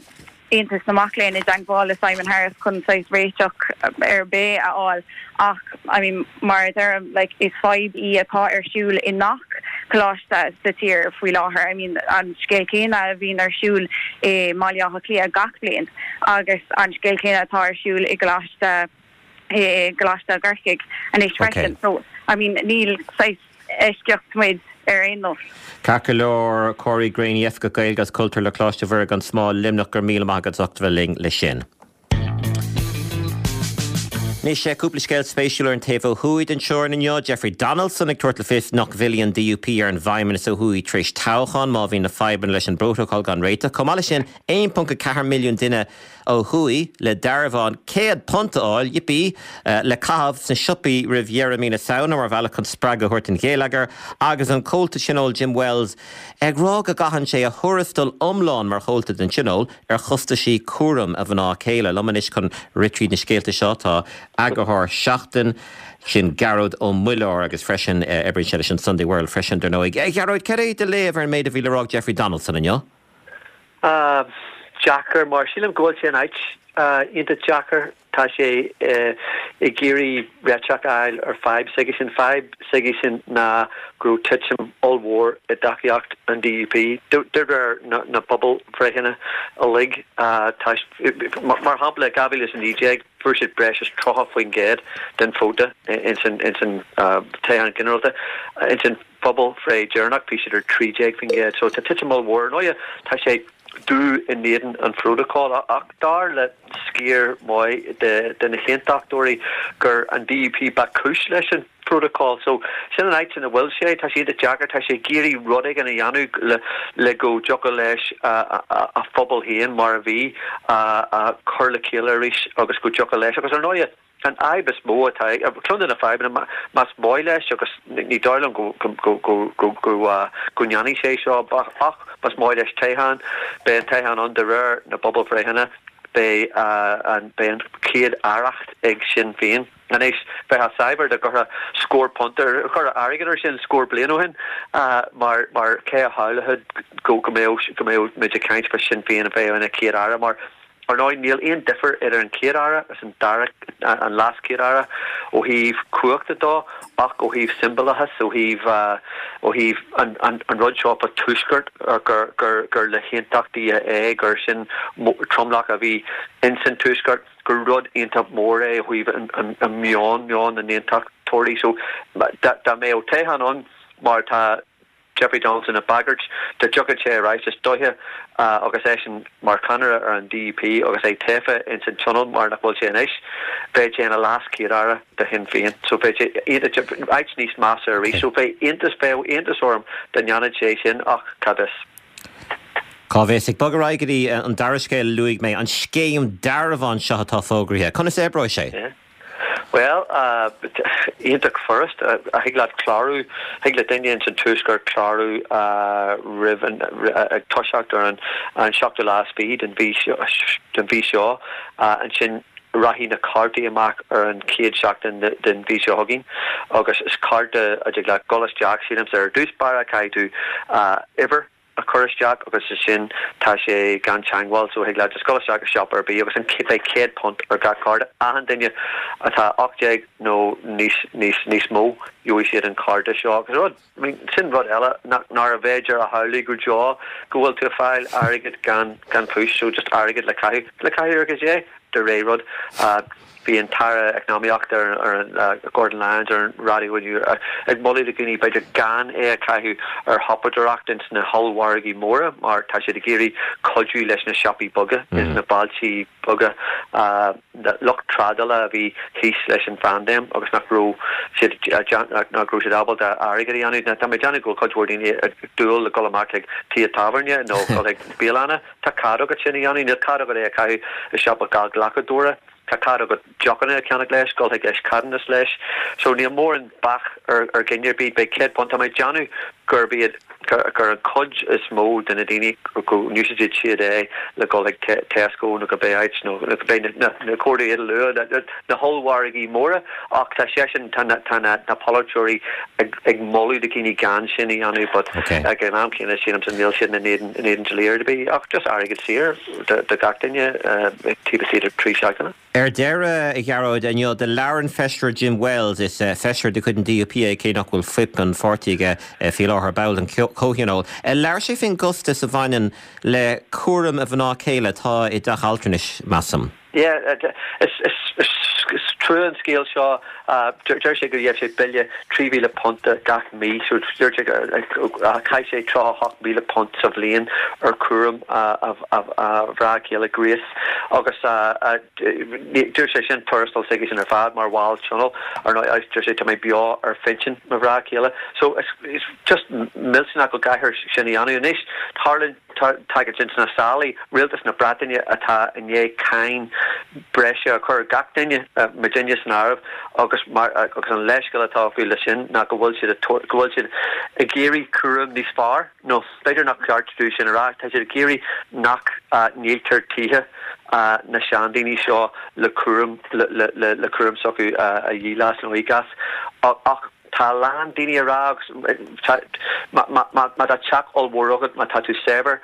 Aontas na Mac Léinn i dteagmháil le Simon Harris chun saghas réiteach ar bith a fháil ach I mean mar a deirim like is fadhb í atá ar siúl i ngach coláiste sa tír faoi láthair. I mean an scéal céanna a bhíonn ar siúl i mBaile Átha Cliath gach bliain agus an scéal céanna atá ar siúl i gColáiste i gColáiste i gCorcaigh anois freisin. So I mean níl saghas eisceacht muid ar aon nós. Ceart go leor Corey Graney Oifigeach Gaeilge agus Cultúir le Coláiste Mhuire gan Smál Luimneach go raibh míle maith agat as ucht a bheith linn leis sin. Anois cúpla scéal spéisiúil ar an taobh ó thuaidh den teorainn inniu, Jeffrey Donaldson ag tabhairt le fios nach bhfillfidh an DUP ar an bhFeidhmeannas ó thuaidh tar éis toghcháin má bhíonn na fadhbanna leis an bprótacal gan réiteach. Chomh maith leis sin aon ponc a ceathair milliún duine ó thuaidh le dearbhán céad punt a fháil, yippee, le caitheamh sna siopaí roimh dheireadh mí na Samhna mar bhealach chun spreagadh a thabhairt don gheilleagar agus an Comhalta Tionóil Jim Wells ag rá go gcaitheann sé a thuarastal iomlán mar chomhalta den Tionól ar chostaisí cúraim a mhná céile. Liom anois chun rith tríd na scéalta seo tá eagarthóir Seachtain, sin Gearóid Ó Muilleoir agus freisin oibríonn sé leis an Sunday World freisin dar ndóigh. A Ghearóid, cad é do léamh ar an méid a bhí le rá ag Jeffrey Donaldson inniu? Deacair mar sílim go bhfuil sé in áit iontach deacair. Tá sé ag iarraidh réiteach a fháil ar fadhb s'aigesean. Fadhb s'aigesean ná go raibh titim ollmhór i dtacaíocht an DUP de réir na pobalbhreitheanna uilig. Mar shampla, i dhá mhíle is a naoi déag fuair siad breis is tríocha faoin gcéad den vóta ins an toghchán ginearálta. Ins an phobalbhreith dheireanach bhí siad ar trí déag faoin gcéad. So tá titim ollmhór. Ar ndóigh tá sé dubh in éadan an phrótacail ach dar le sciar maith de na haontachtóirí gur an DUP ba chúis leis an phrótacal. So sin an áit ina bhfuil sé. Tá sé iontach deacair. Tá sé ag iarraidh rud éigin a dhéanamh le le go dtiocfadh leis a phobal féin mar a bhí a chur le chéile arís agus go dtiocfadh leis. Agus ar ndóigh an fhadhb is mó atá ag, ceann de na fadhbanna, más maith leis agus ní dóigh liom go go go go go go ndéanfaidh sé seo ach más maith leis toghchán, beidh an toghchán ann de réir na bpobalbhreitheanna, beidh an beidh an chéad aireacht ag Sinn Féin. Anois, bheifeá saibhir dá gcuirfeá scór punt ar, chuirfeá airgead ar sin scór bliain ó shin mar mar cé a shamhlódh go go mbeadh go mbeadh muid ag caint fá Sinn Féin a bheith ina chéad aire mar Ar ndóigh, níl aon difear idir an Chéad-Aire agus an dara, an LeasChéad-Aire ó thaobh cumhachta dó ach ó thaobh siombalachas, ó thaobh, ó thaobh an, an, an rud seo fá Tuaisceart gur, gur, gur le haontachtaithe é, gur sin tromlach a bhí ins an Tuaisceart, gur rud iontach mór é ó thaobh an, an, an meon, meon na n-aontachtóirí. So, dá, dá mbeadh toghchán ann mar atá Jeffrey Donaldson ag bagairt dá dtiocfadh sé ar ais, is dóiche, agus eisean mar cheannaire ar an DUP agus é tofa ins an Tionól mar nach bhfuil sé anois, bheadh sé ina leas-Chéad-Aire do Shinn Féin. So bheadh sé áit níos measa arís. So bheadh iontas, bheadh iontas orm dá ndéanfadh sé sin ach cá bhfios. Cá bhfios? Ag bogadh ar aghaidh go dtí an dara scéal a luaigh mé, an scéim dearbhán seo atá fógraithe. Conas a oibreoidh sé? Bhuel, iontach furast. Thig leat clárú, thig le duine ins an Tuaisceart clárú roimh an, ag toiseacht ar an seachtú lá is fiche den mhí seo. Ansin rachaidh na cártaí amach ar an chéad seachtain den mhí seo chugainn agus is cárta a dtig leat dul isteach, sílimse, ar dtús báire caithfidh tú uimhir a chur isteach agus ansin tá sé gan teangmháil so thig leat just dul isteach i siopa ar bith agus an beidh céad punt ar gach cárta. Achan duine atá ocht déag nó níos níos níos mó gheobhaidh siad an cárta seo agus rud I mean sin rud eile nach nárbh fhéidir a shamhlú go deo go bhfuil tú ag fáil airgead gan gan chúis so just airgead le caitheamh le caitheamh ar goidé de réir rud. Bhí an tAire Eacnamaíochta ar Gordon Lyons ar an raidió inniu ag moladh do dhaoine b'fhéidir gan é a chaitheamh ar shiopadóireacht ins na hollmhargaí móra mar tá siad ag iarraidh cuidiú leis na siopaí beaga ins na bailtí beaga, lucht trádála a bhí thíos leis an phaindéim agus nach raibh siad nach raibh siad ábalta airgead a dhéanamh. Tá mé ag déanamh go bhfuil cuid mhór daoine ag dúil le dul amach chuig tithe tábhairne nó dul chuig bialanna. Tá cead agat sin a dhéanamh, níl cead agat é a chaitheamh i siopa gallghlacadóra. Tá cead agat deochanna a cheannach leis, dul chuig eischeadannas leis. So níl mórán bac ar ar dhuine ar bith. Beidh céad punt. Tá mé ag déanamh gurb iad gur an chuid is mó de na daoine go n-úsáidfidh siad é le dul chuig Tesco nó cibé áit nó cibé na na comharthaí a luadh, na hollmhargaí móra. Ach tá seisean, tá na tá na na polaiteoirí ag ag moladh do dhaoine gan sin a dhéanamh but ag an am céanna sílimse níl siad in éadan in éadan dlí ar bith ach just airgead saor do do gach duine taobh istigh de trí seachtaine. Ar deireadh, a Ghearóid, inniu do labhair an Feisire Jim Wells, is feisire de chuid an D U P é, cé nach bhfuil fuip an pháirtí aige faoi láthair, ball den Chomhthionól. Labhair sé faoin gcostas a bhaineann le cúram a mhná céile atá i dteach altranais, measaim. Yeah, is trua an scéal seo. Deir sé go gheibh sé bille trí mhíle punt gach mí, so dúirt sé go chaith sé tríocha a hocht míle punt sa bhliain ar chúram a mhná céile Grace agus dúirt sé sin tuarastal s'aige sin ar fad mar bhall tionóil ar ndóigh agus dúirt sé tá mé beo ar phinsean mo mhná céile. So it's just millteanach go gcaithfear sin a dhéanamh. Anois tarlaíonn tagann sin sna sála, rialtas na Breataine atá i ndiaidh cáin breise a chur ar gach duine, muidinne san áireamh, agus mar agus an leithscéal atá acu leis sin ná go bhfuil siad ag go bhfuil siad ag iarraidh cúram níos fearr, nó b'fhéidir nach ceart dúinn sin a rá, tá siad ag iarraidh nach ndíoltar tithe na seandaoine seo le cúram le le le cúram s'acu a dhíol as nó íoc as. Ach tá a lán daoine ag rá agus má tá teach ollmhór agat, má tá tú saibhir,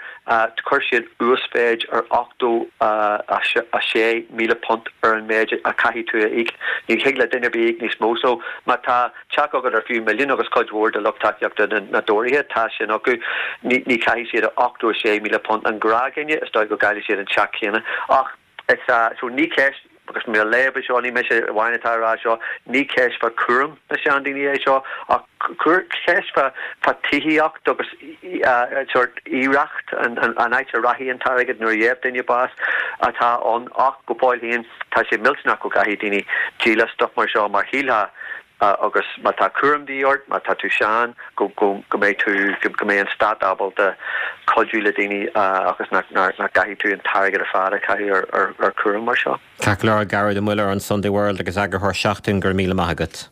chuir siad uasmhéid ar ochtó a sé míle punt ar an méid a chaithfidh tú a íoc. Ní thig le duine ar bith íoc níos mó. So má tá teach agat ar fiú milliún agus cuid mhór de lucht tacaíochta na dTóraithe, tá sin acu, ní chaithfidh siad ochtó a sé míle punt. An gnáthdhuine, is dóigh go gcaillfidh siad an teach céanna. Ach is so ní ceist agus mé ag léamh é seo, ní mise amháin atá ag rá seo, ní ceist fá chúram na seandaoine é seo, ach ceist fá fá tithíocht agus sórt oidhreacht, an áit a rachaidh an t-airgead nuair a gheibh duine bás atá ann. Ach go fóill féin, tá sé millteanach go gcaithfidh daoine díol as stuif mar seo mar shílfeá agus má tá cúram de dhíth ort, má tá tú sean, go mbeidh tú, go mbeidh an stát ábalta cuidiú le daoine agus nach gcaithfidh tú an t-airgead ar fad a chaitheamh ar chúram mar seo. Ceart go leor, Gearóid Ó Muilleoir, an Sunday World agus eagarthóir Seachtain, go raibh míle maith agat.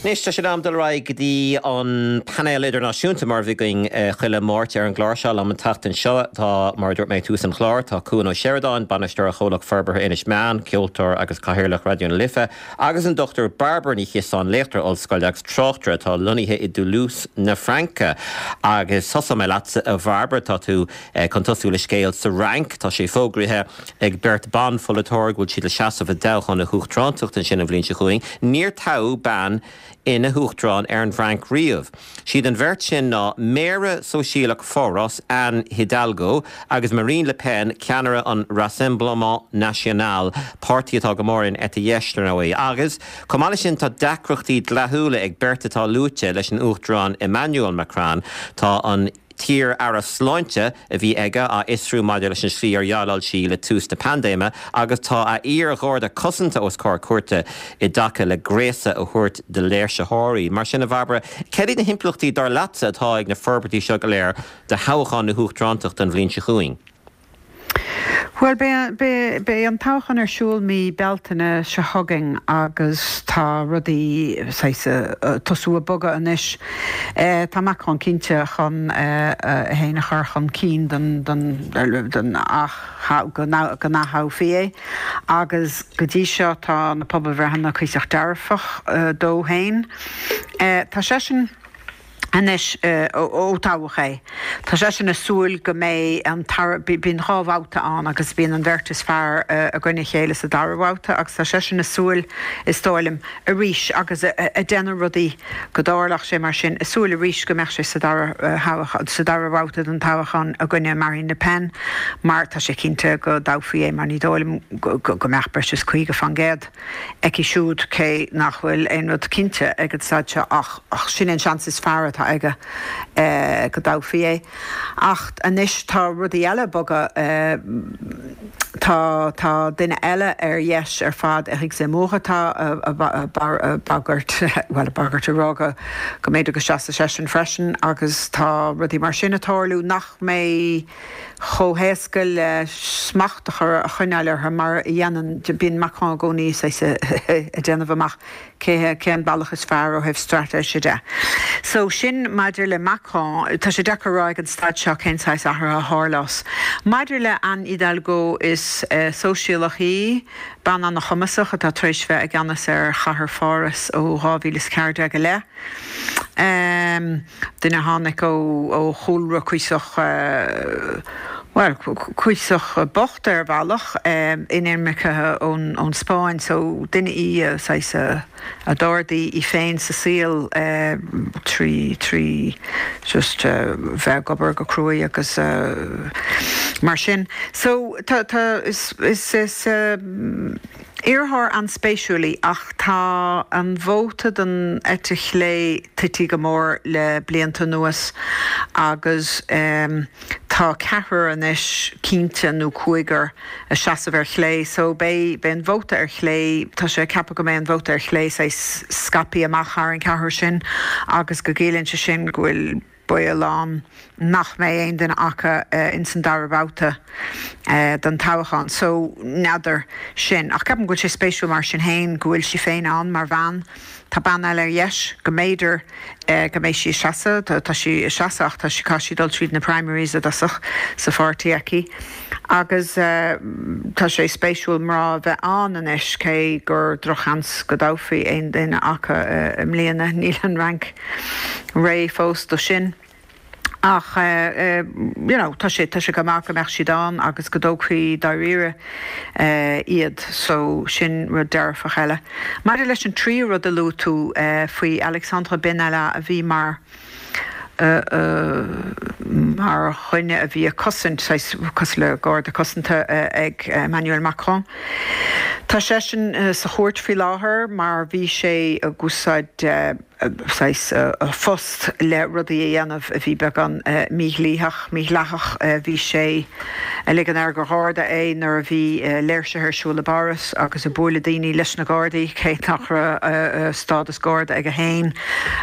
Anois tá sé in am dul ar aghaidh go dtí an painéal idirnáisiúnta mar a bhí againn chuile Máirt ar an gclár seo. Liom an tseachtain seo tá, mar a dúirt mé ag tús an chláir, tá Cuan Ó Seireadáin, bainisteoir Chomhlacht Forbartha Inis Meáin, ceoltóir agus Cathaoirleach Raidió na Life, agus an Dochtúir Bairbre Ní Chiosáin, léachtóir ollscoile agus tráchtaire atá lonnaithe i dToulouse na Fraince. Agus tosóidh mé leatsa, a Bhairbre, tá tú chun tosú le scéal sa Fhrainc. Tá sé fógraithe ag beirt ban-pholaiteoir go bhfuil siad le seasamh i dtoghchán na huachtaránachta ansin an bhliain seo chugainn. Níor toghadh bean ina huachtarán ar an bhFrainc riamh. Siad an bheirt sin ná Méara Sóisialach Pháras, Anne Hidalgo, agus Marine Le Pen, ceannaire an Rassemblement National, páirtí atá go mór ar an eite dheis, dar ndóigh. Agus, chomh maith leis sin, tá deacrachtaí dleathúla ag beirt atá luaite leis an Uachtarán Emmanuel Macron. Tá an. t-iar-aire sláinte a bhí aige á fhiosrú maidir leis an slí ar dhéileáil sí le tús na paindéime agus tá a iar-gharda cosanta os comhair cúirte i dtaca le gréasadh a thabhairt do léirsitheoirí. Mar sin, a Bhairbre, céard iad na himpleachtaí dar leatsa atá ag na forbairtí seo go léir do thoghchán na huachtarántachta an bhliain seo chugainn? Bhuel, beidh an toghchán ar siúl mí Bealtaine seo chugainn agus tá rudaí saghas ag tosú ag bogadh anois. Tá Macron cinnte chun é féin a chur chun cinn don go n-ath-thoghfaí é agus go dtí seo tá na pobalbhreitheanna cuíosach dearfach dó féin. Tá seisean. Anois, ó toghadh é, tá seisean ag súil go mbeidh an tara, bíonn dhá bhabhta ann agus bíonn an bheirt is fearr i gcoinne a chéile sa dara babhta agus tá seisean ag súil, is dóigh liom, arís agus ag déanamh rudaí go dtarlódh sé mar sin, ag súil arís go mbeadh sé sa dara thoghchán, sa dara babhta den toghchán i gcoinne Marine Le Pen mar tá sé cinnte go dtoghfaí é mar ní dóigh liom go mbeadh breis is caoga faoin gcéad aici siúd cé nach bhfuil aon rud cinnte ag an staid seo ach sin an seans is fearr atá aige go dtoghfaí é. Ach anois tá rudaí eile ag bogadh, tá tá duine eile ar dheis ar fad, Éric Zemmour atá ag bagairt, bhuel ag bagairt ag rá go go mb'fhéidir go seasfadh seisean freisin agus tá rudaí mar sin ag tarlú nach mbeidh chomh héasca le smacht a chur a choinneáil orthu mar a dhéanann, bíonn Macron i gcónaí saghas ag déanamh amach cé cén bealach is fearr ó thaobh straitéise de. So sin maidir le Macron, tá sé deacair a rá ag an staid seo cén saghas athraithe a tharlós. Maidir le Anne Hidalgo, is sóisialach í, bean an-chumasach atá tar éis bheith i gceannas ar chathair Pháras ó dhá mhíle is ceathair déag i leith. Duine a tháinig ó chúlra cuíosach, bhuel, cuíosach bocht ar bhealach, inimircithe ón Spáinn, so duine í a saghas a d'ardaigh í féin sa saol trí, trí just bheith ag obair go cruaidh agus mar sin. So tá, tá, is, is, is iarrthóir an-spéisiúil í ach tá an vóta don eite chlé tite go mór le blianta anuas agus tá ceathrar anois cinnte nó cúigear ag seasamh ar chlé so beidh beidh an vóta ar chlé, tá sé ceaptha go mbeidh an vóta ar chlé saghas scaipthe amach thar an ceathrar sin agus go gciallaíonn sé sin go bhfuil baol ann nach mbeidh aon duine acu ins an dara babhta den toghchán. So, n'fheadar sin. Ach ceapaim go bhfuil sé spéisiúil mar sin féin go bhfuil sí féin ann mar bhean. Tá bean eile ar dheis go mb'fhéidir go mbeidh sí ag seasamh, tá sí ag seasamh ach tá sí, caithfidh sí dul tríd na primaries i dtosach sa pháirtí aici. Agus tá sé spéisiúil mná a bheith ann anois cé gur drochsheans go dtoghfaí aon duine acu i mbliana. Níl an Fhrainc réidh fós do sin. Ach you know tá sé tá sé go maith go mbeadh siad ann agus go dtoghfaí dáiríre iad so sin rud dearfach eile. Maidir leis an tríú rud a luaigh tú faoi Alexandre Benalla a bhí mar mar dhuine a bhí ag cosaint, saghas cosúil le garda cosanta ag Emmanuel Macron. Tá seisean sa chúirt faoi láthair mar bhí sé ag úsáid saghas a phost le rudaí a dhéanamh a bhí beagán mídhlítheach, mídhleathach. Bhí sé ag ligean air gur gharda é nuair a bhí léirsithe ar siúl i bPáras agus ag bualadh daoine leis na Gardaí, cé nach raibh stádas Garda aige féin.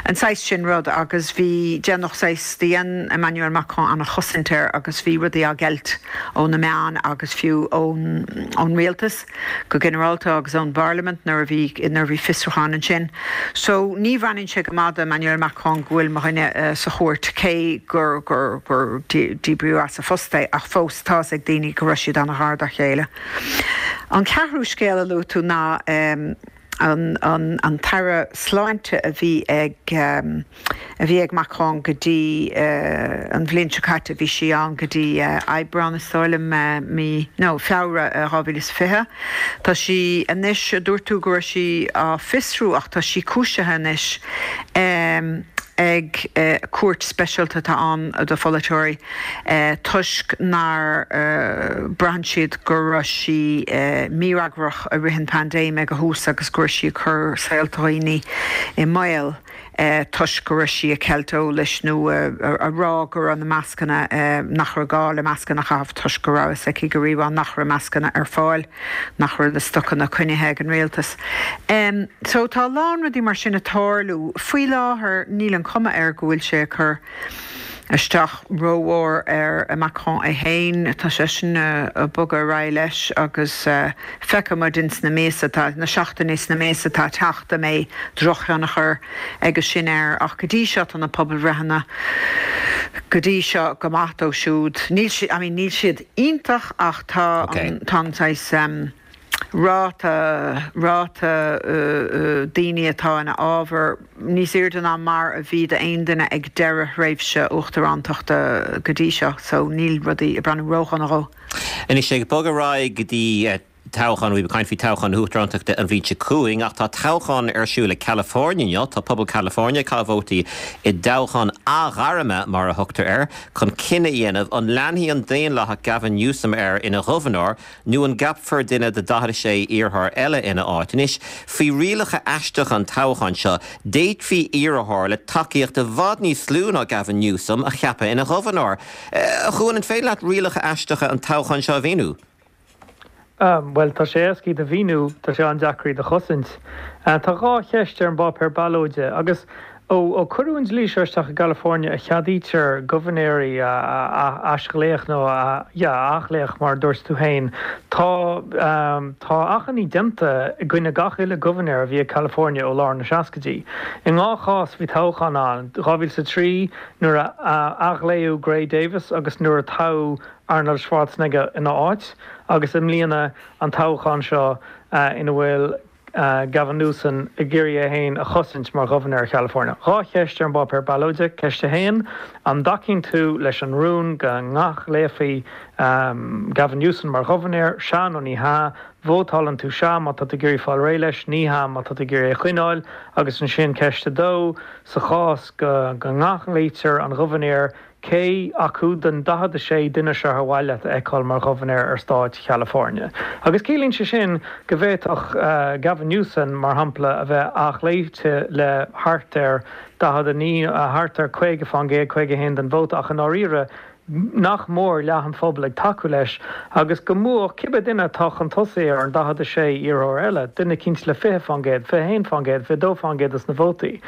An saghas sin rud agus bhí, déanadh saghas, dhein Emmanuel Macron an-chosaint air agus bhí rudaí á gceilt ó na meáin agus fiú ón ón rialtas go ginearálta agus ón bparlaimint nuair a bhí nuair a bhí fiosrúchán ansin. So ní bhreathnaíonn sé go maith do Emmanuel Macron go bhfuil mo dhuine sa chúirt cé gur gur gur díbríodh as a phost é ach fós tá fhios ag daoine go raibh siad an-ghar dá chéile. An ceathrú scéal a luaigh tú ná an an an tAire Sláinte a bhí ag a bhí ag Macron go dtí an bhliain seo caite, bhí sí ann go dtí Aibreán is dóigh liom, mí, no, Feabhra dhá mhíle is fiche. Tá sí anois, dúirt tú go raibh sí á fiosrú ach tá sí cúisithe anois ag cúirt speisialta atá ann do pholaiteoirí toisc nár braitheann siad go raibh sí mífhreagrach i rith an phaindéim ag a thús agus go raibh sí ag cur saolta dhaoine i mbaol. toisc go raibh sí ag ceilt eolais nó a rá go raibh na mascanna nach raibh gá le mascanna a chaitheamh toisc go raibh a fhios aici go rímhaith nach raibh mascanna ar fáil, nach raibh na stocanna coinnithe ag an rialtas. So tá a lán rudaí mar sin ag tarlú. Faoi láthair níl an chuma air go bhfuil sé ag cur isteach rómhór ar Macron é féin. Tá seisean ag bogadh ar aghaidh leis agus feicfidh muid ins na míosa atá, na seachtainí is na míosa atá ag teacht an mbeidh drochthionchar aige sin air ach go dtí seo tá na pobalbhreitheanna go dtí seo go maith dó siúd. Níl siad, I mean níl siad iontach ach tá an, tá an saghas ráta, ráta daoine atá ina fhábhar níos airde ná mar a bhí d'aon duine ag deireadh thréimhse uachtarántachta go dtí seo so níl rudaí ag breathnú ródhona dhó. Anois ag bogadh ar aghaidh go dtí toghchán, bhí ag caint faoi toghchán na huachtarántachta an bhliain seo chugainn ach tá toghchán ar siúl i California inniu, tá pobal California ag caitheamh vótaí i dtoghchán athghairme mar a thugtar air, chun cinneadh a dhéanamh an leanfaidh an Daonlathach Gavin Newsom air ina ghobharnóir nó an gceapfar duine de daichead a sé iarrthóir eile ina áit. Anois, faoi rialacha aisteacha an toghcháin seo, d'fhéadfaí iarrthóir le tacaíocht i bhfad níos lú ná Gavin Newsom a cheapadh ina ghobharnóir. A Chuain, an féidir leat rialacha aisteacha an toghcháin seo a mhíniú? Bhuel, tá sé éasca iad a mhíniú, tá sé an-deacair iad a chosaint. Tá dhá cheist ar an bpáipéar ballóide agus ó cuireadh an dlí seo isteach i gCalifornia a cheadaítear gobharnóirí a aisghlaoch nó a, yeah, a athghlaoch mar a dúirt tú féin, tá tá achainí déanta i gcoinne gach uile gobharnóir a bhí ag California ó lár na seascaidí. I ndhá chás bhí toghchán ann, dhá mhíle is a trí nuair a athghlaodh Gray Davis agus nuair a toghadh Arnold Schwarzenegger ina áit agus i mbliana an toghchán seo ina bhfuil Gavin Newsom ag iarraidh é féin a chosaint mar ghobharnóir Chalifornia. Dhá cheist ar an bpáipéar ballóide. Ceist a haon, An dtacaíonn tú leis an rún go n-athghlaofaí Gavin Newsom mar ghobharnóir? Sea nó ní hea? Vótálann tú sea má tá tú ag iarraidh fáil réidh leis, ní hea má tá tú ag iarraidh é a choinneáil. Agus ansin ceist a dó, sa chás go n-athghlaoitear an gobharnóir, Cé acu den daichead a sé duine seo ar mhaith leat a fheiceáil mar ghobharnóir ar stát Chalifornia? Agus ciallaíonn sé sin go bhféadfadh Gavin Newsom, mar shampla, a bheith athghlaoite le thart ar daichead a naoi, thart ar caoga fán gcéad, caoga a haon den vóta, ach i ndáiríre, nach mór leath an phobail ag tacú leis agus go mbuafadh cibé duine atá chun tosaigh ar an daichead a sé iarrthóir eile, duine eicínt le fiche fán gcéad, fiche a haon fán gcéad, fiche a dó fán gcéad dos na vótaí.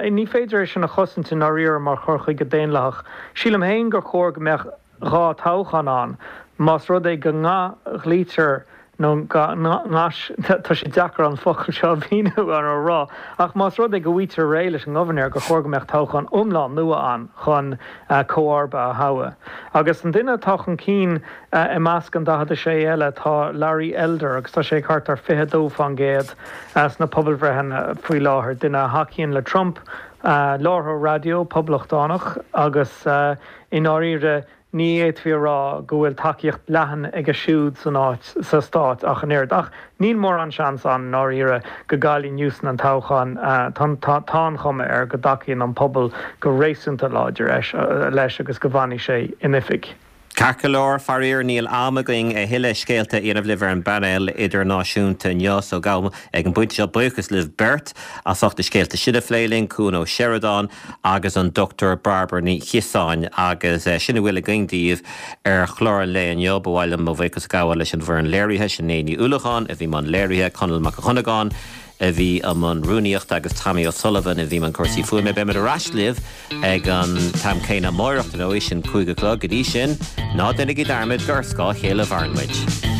Ní féidir é sin a chosaint i ndáiríre mar chur chuige daonlathach. Sílim féin gur chóir go mbeadh dhá toghchán ann. Más rud é go n-athghlaoitear nó go n-ais, tá sé deacair an focal seo a mhíniú nó a rá, ach más rud é go bhfaightear réidh leis an ngobharnóir gur chóir go mbeadh toghchán iomlán nua ann chun comharba a thoghadh. Agus an duine atá chun cinn i measc an daichead a sé eile tá Larry Elder agus tá sé ag thart ar fiche a dó fán gcéad sna pobalbhreitheanna faoi láthair, duine a thacaíonn le Trump, láithreoir raidió poblachtánach agus i ndáiríre Ní fhéadfaí a rá go bhfuil tacaíocht leathan aige siúd san áit, sa stát ach an oiread. Ach níl mórán seans ann i ndáiríre go gcaillfidh Newsom an toghchán. Tá an chuma air go dtacaíonn an pobal go réasúnta láidir leis agus go bhfanfaidh sé in oifig. Ceart go leor, faraor níl am againn a thuilleadh scéalta a dhéanamh libh ar an bpainéal idirnáisiúnta inniu so gabhaim ag an bpointe seo buíochas libh beirt as ucht na scéalta sin a phlé linn, Cuan Ó Seireadáin agus an Dochtúir Bairbre Ní Chiosáin. Agus sin a bhfuil againn daoibh ar chlár an lae inniu. Ba mhaith liom mo bhuíochas a ghabháil leis an bhfoireann léirithe, Sinéad Ní Uallacháin a bhí i mbun léirithe, Conall Mac Dhonnagáin a bhí i mbun rúnaíochta agus Tommy O'Sullivan a bhí i mbun cúrsaí fuaime. Beimid ar ais libh ag an t-am céanna amáireach, ar ndóigh, sin cúig a chlog. Go dtí sin, ná déanaigí dearmad gur ar scáth a chéile a mhaireann muid.